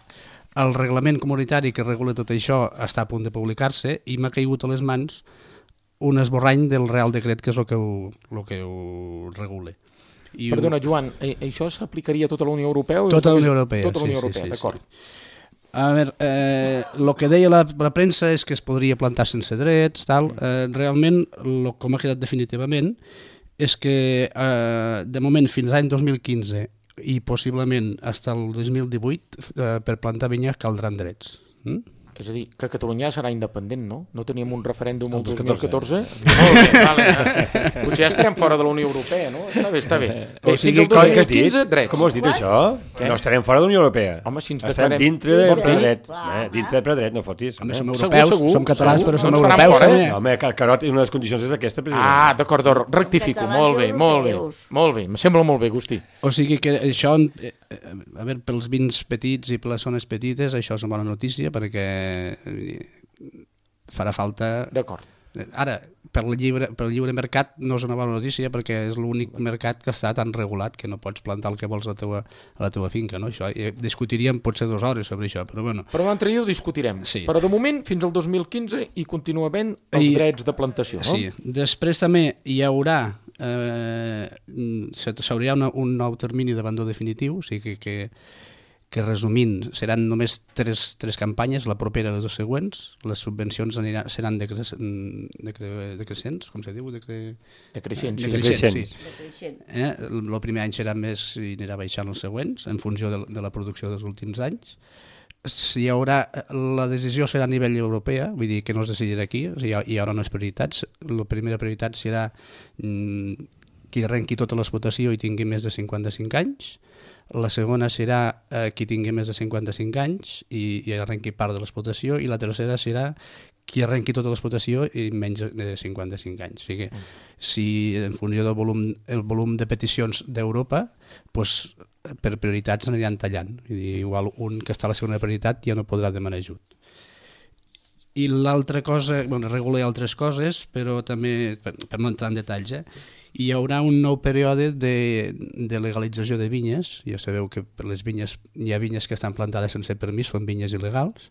el reglament comunitari que regula tot això està a punt de publicar-se i m'ha caigut a les mans un esborrany del Real Decret, que és el que ho regula. Perdona, Joan, això s'aplicaria a tota la Unió Europea? Tota la Unió Europea, Tota la Unió Europea, d'acord. A veure, el que deia la premsa és que es podria plantar sense drets, tal. Realment, com ha quedat definitivament, és que de moment fins l'any 2015 i possiblement fins al 2018 per plantar vinya caldran drets. És a dir, que Catalunya serà independent, no? No teníem un referèndum el 2014? Potser ja estarem fora de la Unió Europea, no? Està bé. Fins al 2015, drets. Com ho has dit, això? No estarem fora de la Unió Europea. Home, si ens estarem dintre del predret. Dintre del predret, no fotis. Home, som europeus, som catalans, però som europeus també. Home, Carot, una de les condicions és aquesta, president. Ah, d'acord, rectifico. Molt bé. Em sembla molt bé, Agustí. O sigui que això, a veure, pels vins petits i per les zones petites, això és una bona notícia, perquè farà falta... D'acord. Ara, per el lliure mercat no és una bona notícia perquè és l'únic mercat que està tan regulat que no pots plantar el que vols a la teva finca, no? Això, discutiríem potser 2 hores sobre això, però bueno. Però l'altre dia ho discutirem. Sí. Però de moment, fins al 2015 hi continua havent els drets de plantació, no? Sí. Després també hi haurà s'hauria un nou termini d'abandó definitiu, o sigui que resumint seran només 3 campanyes, la propera i les 2 següents, les subvencions seran decreixents, com se diu? Decreixents. Sí. El primer any serà més i anirà baixant els següents, en funció de la producció dels últims anys. Hi haurà, la decisió serà a nivell europea, vull dir que no es decidirà aquí, o sigui, hi haurà unes prioritats. La primera prioritat serà qui arrenqui tota l'explotació i tingui més de 55 anys. La segona serà qui tingui més de 55 anys i arrenqui part de l'explotació, i la tercera serà qui arrenqui tota l'explotació i menys de 55 anys. O sigui, si en funció del volum de peticions d'Europa, doncs, per prioritats aniran tallant. Igual un que està a la segona prioritat ja no podrà demanar ajut. I l'altra cosa, regula altres coses, però també, per no entrar en detalls, hi haurà un nou període de legalització de vinyes. Ja sabeu que per les vinyes hi ha vinyes que estan plantades sense permís, són vinyes il·legals,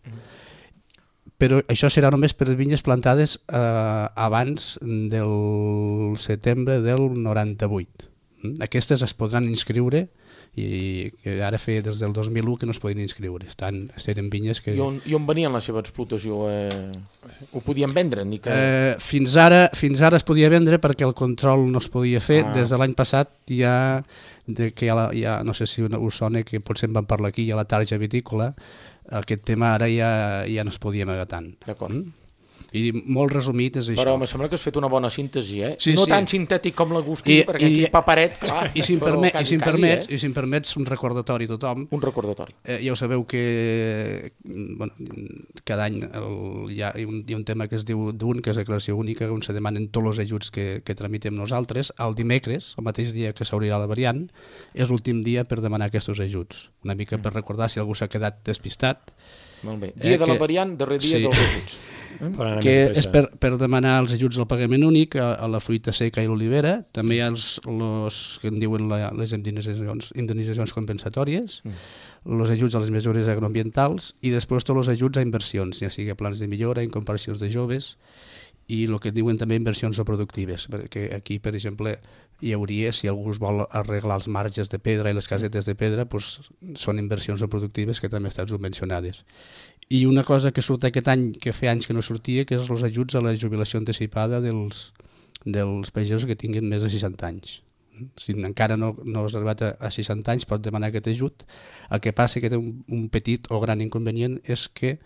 però això serà només per vinyes plantades abans del setembre del 98. Aquestes es podran inscriure, i que ara feia des del 2001 que no es podien inscriure. Eren vinyes que... I on venien la seva explotació? Ho podien vendre? Fins ara es podia vendre perquè el control no es podia fer. Des de l'any passat ja, no sé si us sona, que potser en vam parlar aquí, hi ha la tarja vitícola, aquest tema ara ja no es podia negar tant. D'acord. I molt resumit és això. Però em sembla que has fet una bona síntesi, Sí, no tan sintètic com l'Agustí, perquè aquí paperet... Clar, I si em permets un recordatori a tothom. Un recordatori. Ja ho sabeu que cada any hi ha un tema que es diu DUN, que és declaració única, on se demanen tots els ajuts que tramitem nosaltres. El dimecres, el mateix dia que s'obrirà la variant, és l'últim dia per demanar aquests ajuts. Una mica per recordar si algú s'ha quedat despistat. Molt bé. Dia de la variant, darrer dia dels ajuts. Que és per demanar els ajuts al pagament únic a la fruita seca i l'olivera. També hi ha els que en diuen les indemnitzacions compensatòries, els ajuts a les mesures agroambientals i després tots els ajuts a inversions, ja sigui a plans de millora, incorporacions de joves i el que diuen també inversions no productives, perquè aquí, per exemple, hi hauria, si algú vol arreglar els marges de pedra i les casetes de pedra, doncs són inversions no productives que també estan subvencionades. I una cosa que surt aquest any, que fa anys que no sortia, que és els ajuts a la jubilació anticipada dels pagesos que tinguin més de 60 anys. Si encara no has arribat a 60 anys, pots demanar aquest ajut. El que passa que té un petit o gran inconvenient és que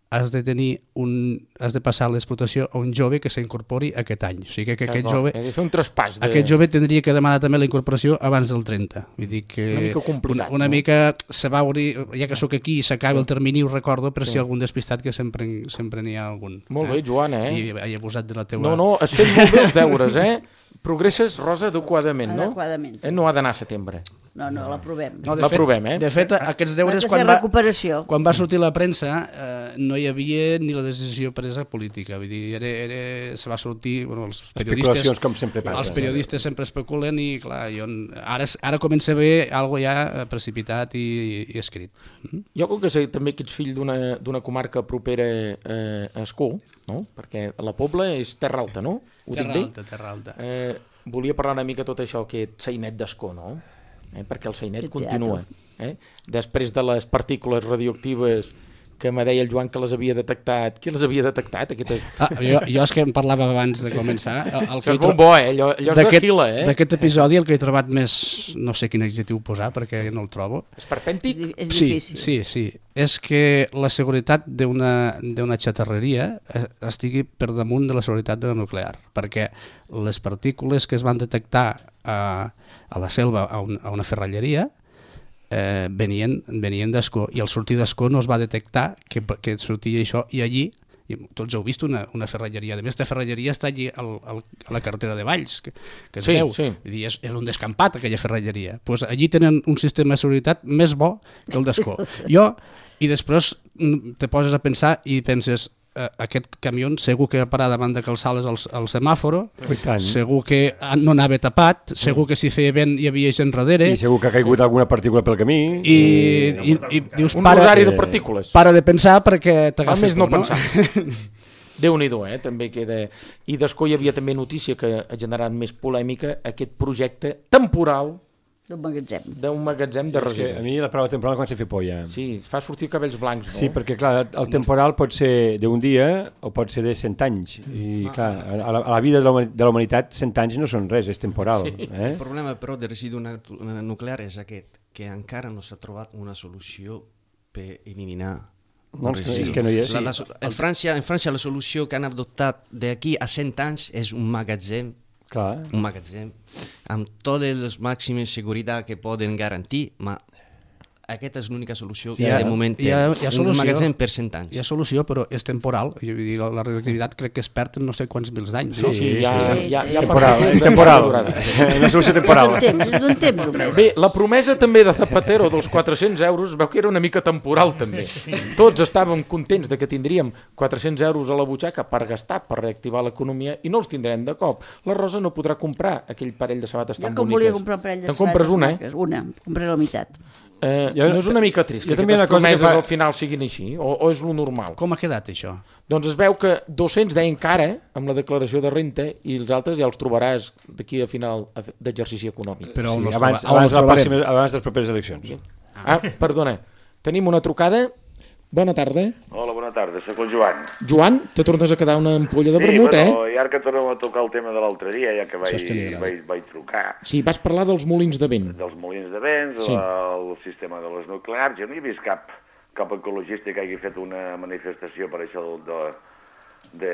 has de passar l'explotació a un jove que s'incorpori aquest any. O sigui que aquest jove... He de fer un traspàs. Aquest jove tindria que demanar també la incorporació abans del 30. Vull dir que una mica complicat. Una mica se va obrir, ja que sóc aquí i s'acaba el termini, ho recordo, per si algun despistat, que sempre n'hi ha algun. Molt bé, Joan, I he abusat de la teua... No, has fet molt bé els deures, Progresses, Rosa, adequadament, no? Adequadament. No ha d'anar a setembre. No, l'aprovem. L'aprovem, De fet, aquests deures, quan va sortir la premsa, no hi havia ni la decisió presa política. Vull dir, se va sortir... Els periodistes, com sempre passa. Els periodistes sempre especulen i, clar, ara comença a haver alguna cosa ja precipitat i escrit. Jo, com que sé també que ets fill d'una comarca propera a Ascó, no? Perquè la Pobla és Terra Alta, no? Terra Alta. Volia parlar una mica tot això, aquest sainet d'Ascó, no? Perquè el sainet continua. Després de les partícules radioactives que me deia el Joan que les havia detectat. Qui les havia detectat? Jo és que em parlava abans de començar. Això és molt bo, allò és de fila. D'aquest episodi el que he trobat més, no sé quin adjectiu posar perquè no el trobo. Esperpèntic? És difícil. Sí. És que la seguretat d'una xatarreria estigui per damunt de la seguretat de la nuclear, perquè les partícules que es van detectar a la selva, a una ferralleria, venien d'Ascó, i al sortir d'Ascó no es va detectar que sortia això, i allí, tots heu vist una ferralleria, a més aquesta ferralleria està allí a la carretera de Valls, que es veu, és un descampat aquella ferralleria, doncs allí tenen un sistema de seguretat més bo que el d'Ascó. I després te poses a pensar i penses, aquest camió segur que va parar davant de Cal Sales al semàforo, segur que no anava tapat, segur que si feia vent hi havia gent darrere, i segur que ha caigut alguna partícula pel camí, i dius, un rosari de partícules. Para de pensar perquè t'agafa més no pensar. Déu-n'hi-do, també queda. I d'Ascó hi havia també notícia que ha generat més polèmica, aquest projecte temporal d'un magatzem de residus. A mi la paraula temporal comença a fer por ja. Sí, fa sortir cabells blancs. No? Sí, perquè clar, el temporal pot ser d'un dia o pot ser de 100 anys. I clar, a la vida de la humanitat 100 anys no són res, és temporal. El problema però de residu nuclear és aquest, que encara no s'ha trobat una solució per eliminar el residu. És que no hi és. En França la solució que han adoptat d'aquí a 100 anys és un magatzem, amb totes les màximes seguretat que poden garantir, però aquesta és l'única solució que de moment té. Un magatzem per 100 anys. Hi ha solució, però és temporal. La radioactivitat crec que es perd en no sé quants mils d'anys. Sí, és temporal. Una solució temporal. És d'un temps només. Bé, la promesa també de Zapatero dels 400 euros veu que era una mica temporal també. Tots estàvem contents de que tindríem 400 euros a la butxaca per gastar, per reactivar l'economia, i no els tindrem de cop. La Rosa no podrà comprar aquell parell de sabates tan boniques. Jo que volia comprar un parell de sabates. Te'n compres una, Una, compraré la meitat. No és una mica trist que aquestes promeses al final siguin així, o és lo normal? Com ha quedat això? Doncs es veu que 200 deien que ara, amb la declaració de renta, i els altres ja els trobaràs d'aquí a final d'exercici econòmic. Però abans de les properes eleccions. Perdona, tenim una trucada. Bona tarda. Hola, bona tarda, soc el Joan. Joan, te tornes a quedar una ampolla de vermut, i ara que tornem a tocar el tema de l'altre dia, ja que vaig trucar. Sí, vas parlar dels molins de vent. Dels molins de vent, el sistema de les nuclears. Jo no he vist cap ecologista que hagi fet una manifestació per això de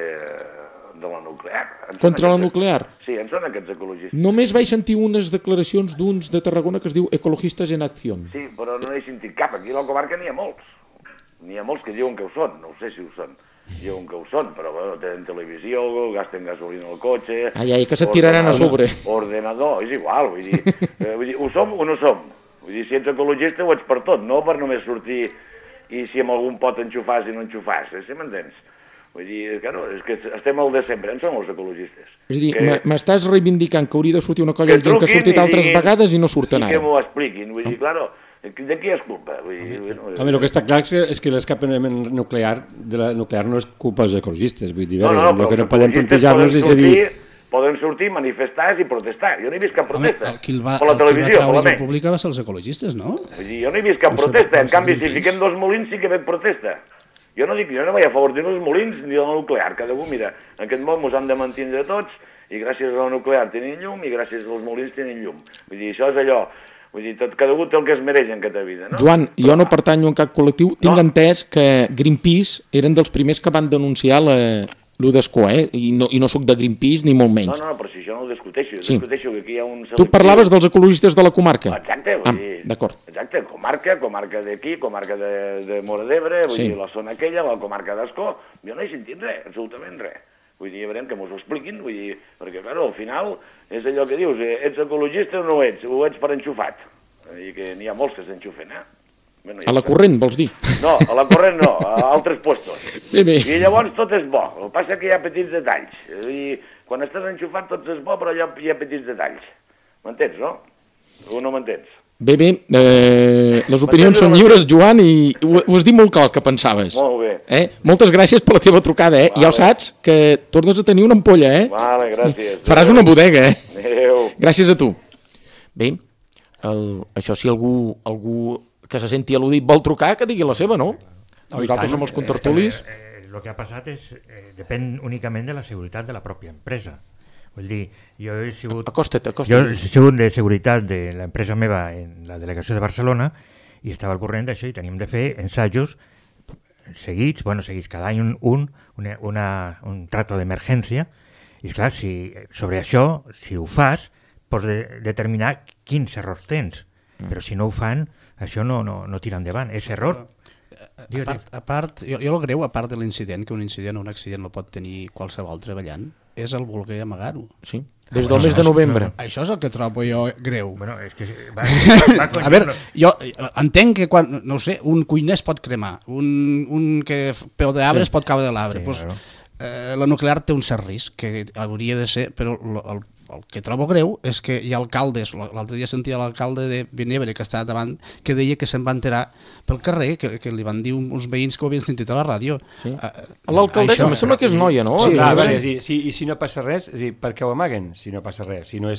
la nuclear. Contra la nuclear? Sí, en són aquests ecologistes. Només vaig sentir unes declaracions d'uns de Tarragona que es diu Ecologistes en Acció. Sí, però no he sentit cap. Aquí a la comarca n'hi ha molts. N'hi ha molts que diuen que ho són, no sé si ho són. Diuen que ho són, però bueno, tenen televisió, gasten gasolina al cotxe... que se't tiraran a sobre. Ordenador, és igual, vull dir, ho som o no som? Vull dir, si ets ecologista ho ets per tot, no per només sortir i si amb algun pot enxufar i no enxufar, si m'entens? Vull dir, claro, és que estem al de sempre, en som els ecologistes. És a dir, m'estàs reivindicant que hauria de sortir una colla de gent que ha sortit altres vegades i no surten ara. I que m'ho expliquin, vull dir, claro, de qui és culpa? Vull dir, home, el que està clar és que l'escapament nuclear no és culpa dels ecologistes, vull dir, el que no podem plantejar-nos és a dir... Poden sortir, manifestar i protestar. Jo no he vist cap protesta. Qui va treure la república va ser els ecologistes, no? Vull dir, jo no he vist cap protesta. En canvi, si fiquem 2 molins sí que veig protesta. Jo no vaig a favor ni dels molins ni de la nuclear. Cada un, mira, en aquest món ens han de mantenir tots i gràcies a la nuclear tenim llum i gràcies als molins tenim llum. Vull dir, això és allò. Vull dir, cada un té el que es mereix en aquesta vida, no? Joan, jo no pertanyo a cap col·lectiu. Tinc entès que Greenpeace eren dels primers que van denunciar lo d'Escó, I no soc de Greenpeace ni molt menys. No, però si això no ho discuteixo. Discuteixo que aquí hi ha un selectiu... Tu parlaves dels ecologistes de la comarca. Exacte, vull dir... D'acord. Exacte, comarca d'aquí, comarca de Móra d'Ebre, vull dir, la zona aquella, la comarca d'Escó. Jo no he sentit res, absolutament res. Vull dir, veurem que m'ho expliquin, vull dir, perquè, clar, al final és allò que dius, ets ecologista o no ho ets per enxufat. I que n'hi ha molts que s'enxufen, Bueno, a la corrent, vols dir? No, a la corrent no, a altres puestos. Bé. I llavors tot és bo, el que passa que hi ha petits detalls. I quan estàs enxufat tot és bo, però hi ha petits detalls. M'entens, no? O no m'entens? Bé, les opinions són lliures, Joan, i ho has dit molt clar el que pensaves. Molt bé. Moltes gràcies per la teva trucada, Vale. Ja ho saps, que tornes a tenir una ampolla, Vale, gràcies. Faràs una bodega, Adéu. Gràcies a tu. Bé, això si algú que se senti al·ludit vol trucar, que digui la seva, no? Nosaltres som els contertulis. El que ha passat depèn únicament de la seguretat de la pròpia empresa. Vull dir, jo he sigut de seguretat de l'empresa meva en la delegació de Barcelona i estava al corrent d'això i teníem de fer ensajos seguits cada any un trato d'emergència i esclar, sobre això, si ho fas, pots determinar quins errors tens, però si no ho fan, això no tira endavant, és error. A part, jo el greu, a part de l'incident, que un incident o un accident no pot tenir qualsevol treballant, és el voler amagar-ho. Sí, des del mes de novembre. Això és el que trobo jo greu. Bueno, és que a veure, jo entenc que quan, no sé, un cuiner es pot cremar, un que peu d'arbre es pot caure de l'arbre. La nuclear té un cert risc, que hauria de ser, però el que trobo greu és que hi ha alcaldes, l'altre dia sentia l'alcalde de Benebre que estava davant, que deia que se'n va enterar pel carrer, que li van dir uns veïns que ho havien sentit a la ràdio. L'alcaldessa, em sembla que és noia, no? Sí, i si no passa res, és a dir, per què ho amaguen? Si no passa res, si no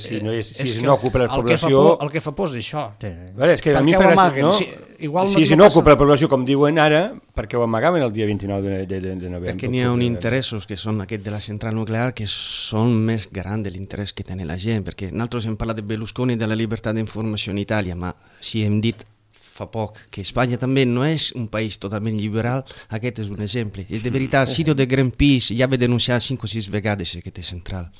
ocupa la població... El que fa por és això. És que a mi fa gràcia, no? Si no ocupa la població, com diuen ara, per què ho amagaven el dia 29 de novembre? Perquè n'hi ha uns interessos que són aquest de la central nuclear que són més grans de l'interès que tenen la gent, perquè nosaltres hem parlat de Berlusconi i de la llibertat d'informació en Itàlia, ma si hem dit fa poc que Espanya també no és un país totalment liberal, aquest és un exemple. I de veritat, el sito de Greenpeace ja va denunciar 5 o 6 vegades aquesta central,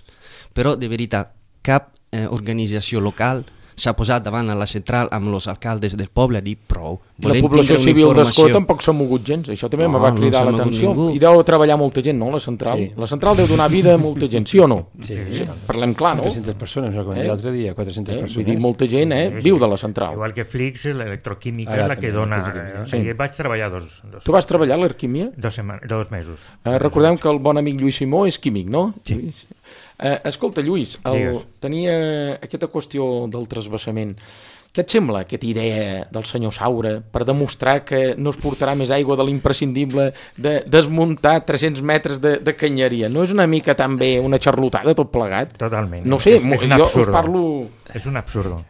però de veritat cap organització local s'ha posat davant a la central amb els alcaldes del poble a dir prou. La població civil d'Escó tampoc s'ha mogut gens, això també me va cridar l'atenció. I deu treballar molta gent, no, la central? Sí. La central deu donar vida a molta gent, sí o no? Sí. Parlem clar, no? 400 persones, no com l'altre dia, 400 persones. Vull dir, molta gent viu de la central. Igual que Flix, l'electroquímica és la que dona... Jo vaig treballar dos... Tu vas treballar a l'Arquímia? 2 mesos. Recordem que el bon amic Lluís Simó és químic, no? Sí. Escolta, Lluís, tenia aquesta qüestió del transvasament. Què et sembla aquesta idea del senyor Saura per demostrar que no es portarà més aigua de l'imprescindible de desmuntar 300 metres de canyeria? No és una mica també una xarlotada tot plegat? Totalment. No sé, jo us parlo... És un absurdo.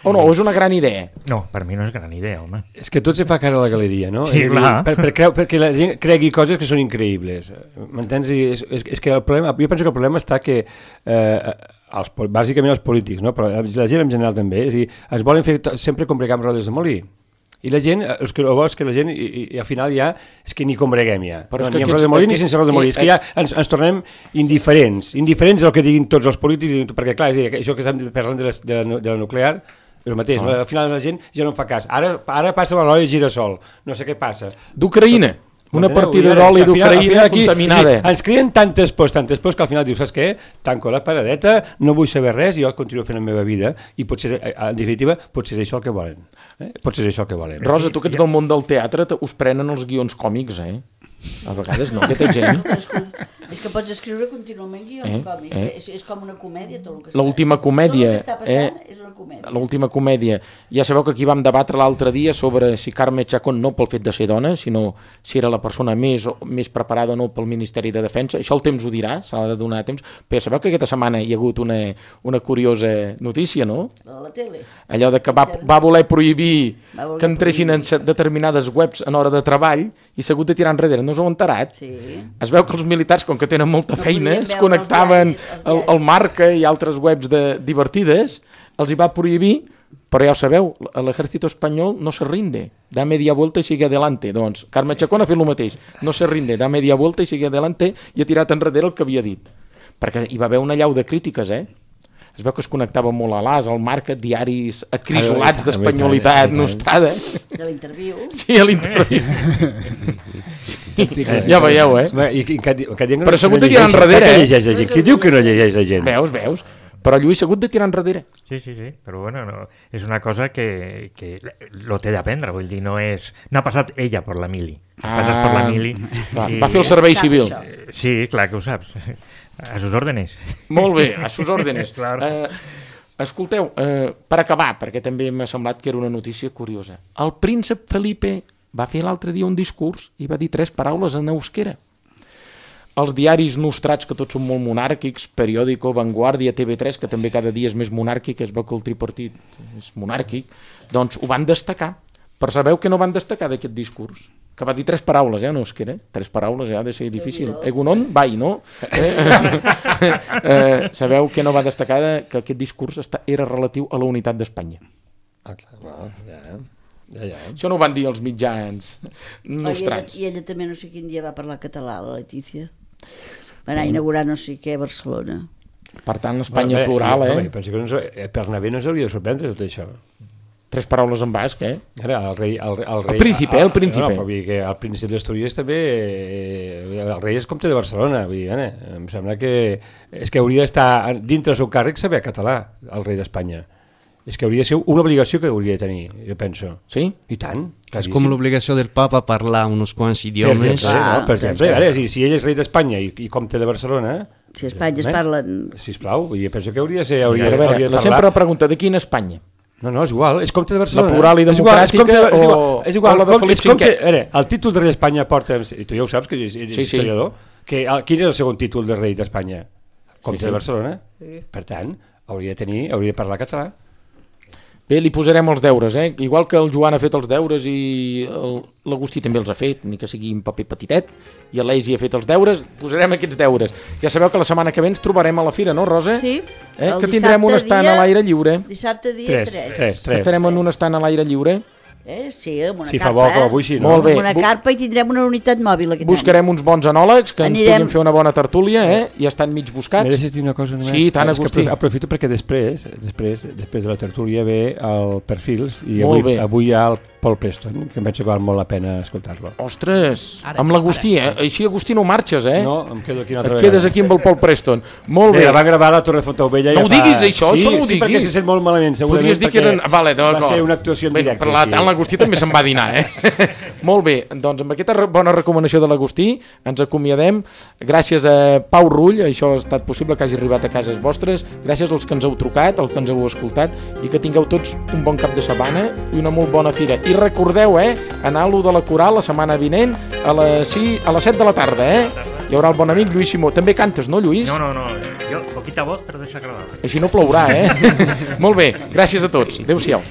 O no, és una gran idea? No, per mi no és gran idea, home. És que tot se fa cara a la galeria, no? Sí, clar. Perquè la gent cregui coses que són increïbles. M'entens? És que el problema, jo penso que el problema està que bàsicament els polítics, no? Però la gent en general també, és a dir, es volen fer sempre combregar amb rodes de molí. I la gent, el que vol és que la gent, i al final ja, és que ni combreguem ja. Ni amb rodes de molí ni sense rodes de molí. És que ja ens tornem indiferents. Indiferents del que diguin tots els polítics, perquè clar, és a dir, això que estem parlant de la nuclear, el mateix, al final la gent ja no en fa cas. Ara passa amb l'oli de girassol, no sé què passa. D'Ucraïna. Una partida d'oli d'Ucraïna contaminada. Sí, ens creen tantes pors que al final dius, saps què? Tanco la paradeta, no vull saber res, jo continuo fent la meva vida i potser, en definitiva, potser és això el que volen. Potser és això el que volen. Rosa, tu que ets del món del teatre, us prenen els guions còmics, A vegades no, aquesta gent. És que pots escriure contínuament guions còmics. És com una comèdia, tot el que l'última comèdia. Tot el que està passant és una comèdia. L'última comèdia. Ja sabeu que aquí vam debatre l'altre dia sobre si Carme Chacón, no pel fet de ser dona, sinó si era la persona més preparada o no pel Ministeri de Defensa. Això el temps ho dirà, s'ha de donar temps. Però ja sabeu que aquesta setmana hi ha hagut una curiosa notícia, no? La tele. Allò de que va voler prohibir que entressin en determinades webs en hora de treball i s'ha hagut de tirar enrere. No us heu enterat? Sí. Es veu que els militars, com que tenen molta feina, es connectaven al Marca i altres webs divertides, els hi va prohibir, però ja ho sabeu, l'ejército espanyol no se rinde, da media vuelta i sigue adelante. Doncs Carme Chacón ha fet el mateix, no se rinde, da media vuelta i sigue adelante, i ha tirat enrere el que havia dit. Perquè hi va haver una llau de crítiques, Es veu que es connectava molt a l'AS, al Marca, diaris acrisolats d'espanyolitat nostrada. De l'interviu. Sí, a l'interviu. Ja veieu, Però s'ha hagut de tirar enrere, Qui diu que no llegeix la gent? Veus? Però Lluís s'ha hagut de tirar enrere. Sí, però bueno, no, és una cosa que lo té d'aprendre, vull dir, no ha passat ella per la mili. Passes per la mili. Va fer el servei civil. Sí, clar que ho saps. A sus órdenes. Molt bé, a sus órdenes. Claro. Escolteu, per acabar, perquè també m'ha semblat que era una notícia curiosa. El príncep Felipe va fer l'altre dia un discurs i va dir 3 paraules en euskera. Els diaris nostrats, que tots són molt monàrquics, Periódico, Vanguardia, TV3, que també cada dia és més monàrquic, es veu que el tripartit és monàrquic, doncs ho van destacar. Però sabeu que no van destacar d'aquest discurs? Que va dir 3 paraules, en euskera. 3 paraules, ha de ser difícil. Egunon, bai, no? Sabeu que no va destacar que aquest discurs era relatiu a la unitat d'Espanya. Ja. Això no ho van dir els mitjans nostrats. I ella també no sé quin dia va parlar català, la Letícia. Va anar a inaugurar no sé què a Barcelona. Per tant, l'Espanya plural, Penso que per anar bé no s'hauria de sorprendre tot això. 3 paraules en basc, Ara, el rei... El príncipe, el príncipe. No, però vull dir que el príncep d'Astúries també... El rei és comte de Barcelona, vull dir, em sembla que... És que hauria d'estar dintre del seu càrrec saber català, el rei d'Espanya. És que hauria de ser una obligació que hauria de tenir, jo penso. Sí? I tant. És com l'obligació del papa parlar uns quants idiomes. Per exemple, si ell és rei d'Espanya i comte de Barcelona... Si a Espanya es parlen... Sisplau, penso que hauria de parlar... La sempre pregunta, de quina Espanya? No, és igual, és comte de Barcelona. La plural i democràtica és igual, la de Felip V? El títol de rei d'Espanya porta... I tu ja ho saps, que ets historiador. Quin és el segon títol de rei d'Espanya? Comte de Barcelona. Per tant, hauria de parlar català. Bé, li posarem els deures, Igual que el Joan ha fet els deures i l'Agustí també els ha fet, ni que sigui un paper petitet, i l'Eisi ha fet els deures, posarem aquests deures. Ja sabeu que la setmana que ve ens trobarem a la fira, no, Rosa? Sí. Que tindrem un estant a l'aire lliure. Dissabte dia 3. Estarem en un estant a l'aire lliure. Sí, amb una carpa. Si fa bo, com avui sí, no? Molt bé. Amb una carpa i tindrem una unitat mòbil aquest Buscarem uns bons anòlegs que ens puguin fer una bona tertúlia, Ja estan mig buscats. M'he deixat dir una cosa només? Sí, tant, Agustí. Aprofito perquè després de la tertúlia ve el Perfils i avui hi ha el Paul Preston, que em penso que val molt la pena escoltar-lo. Ostres, amb l'Agustí, Així, Agustí, no marxes, No, em quedo aquí una altra vegada. Et quedes aquí amb el Paul Preston. Molt bé. La va gravar a la Torre Fontaubella. No ho diguis, això no ho diguis. Sí, perquè se sent molt malament, segurament, perquè va ser una actuació en directe. Per tant, l'Agustí també se'n va dinar, Molt bé, doncs amb aquesta bona recomanació de l'Agustí ens acomiadem. Gràcies a Pau Rull, això ha estat possible que hagi arribat a cases vostres. Gràcies als que ens heu trucat, als que ens heu escoltat, i que tingueu tots un bon cap de setmana i una molt bona fira. I recordeu, anar a l'1 de la Coral la setmana vinent a les 7 de la tarda, Hi haurà el bon amic Lluís Simó. També cantes, no, Lluís? No, jo, poquita voz, però desagradable. Així no plourà, Molt bé, gràcies a tots. Adéu-siau.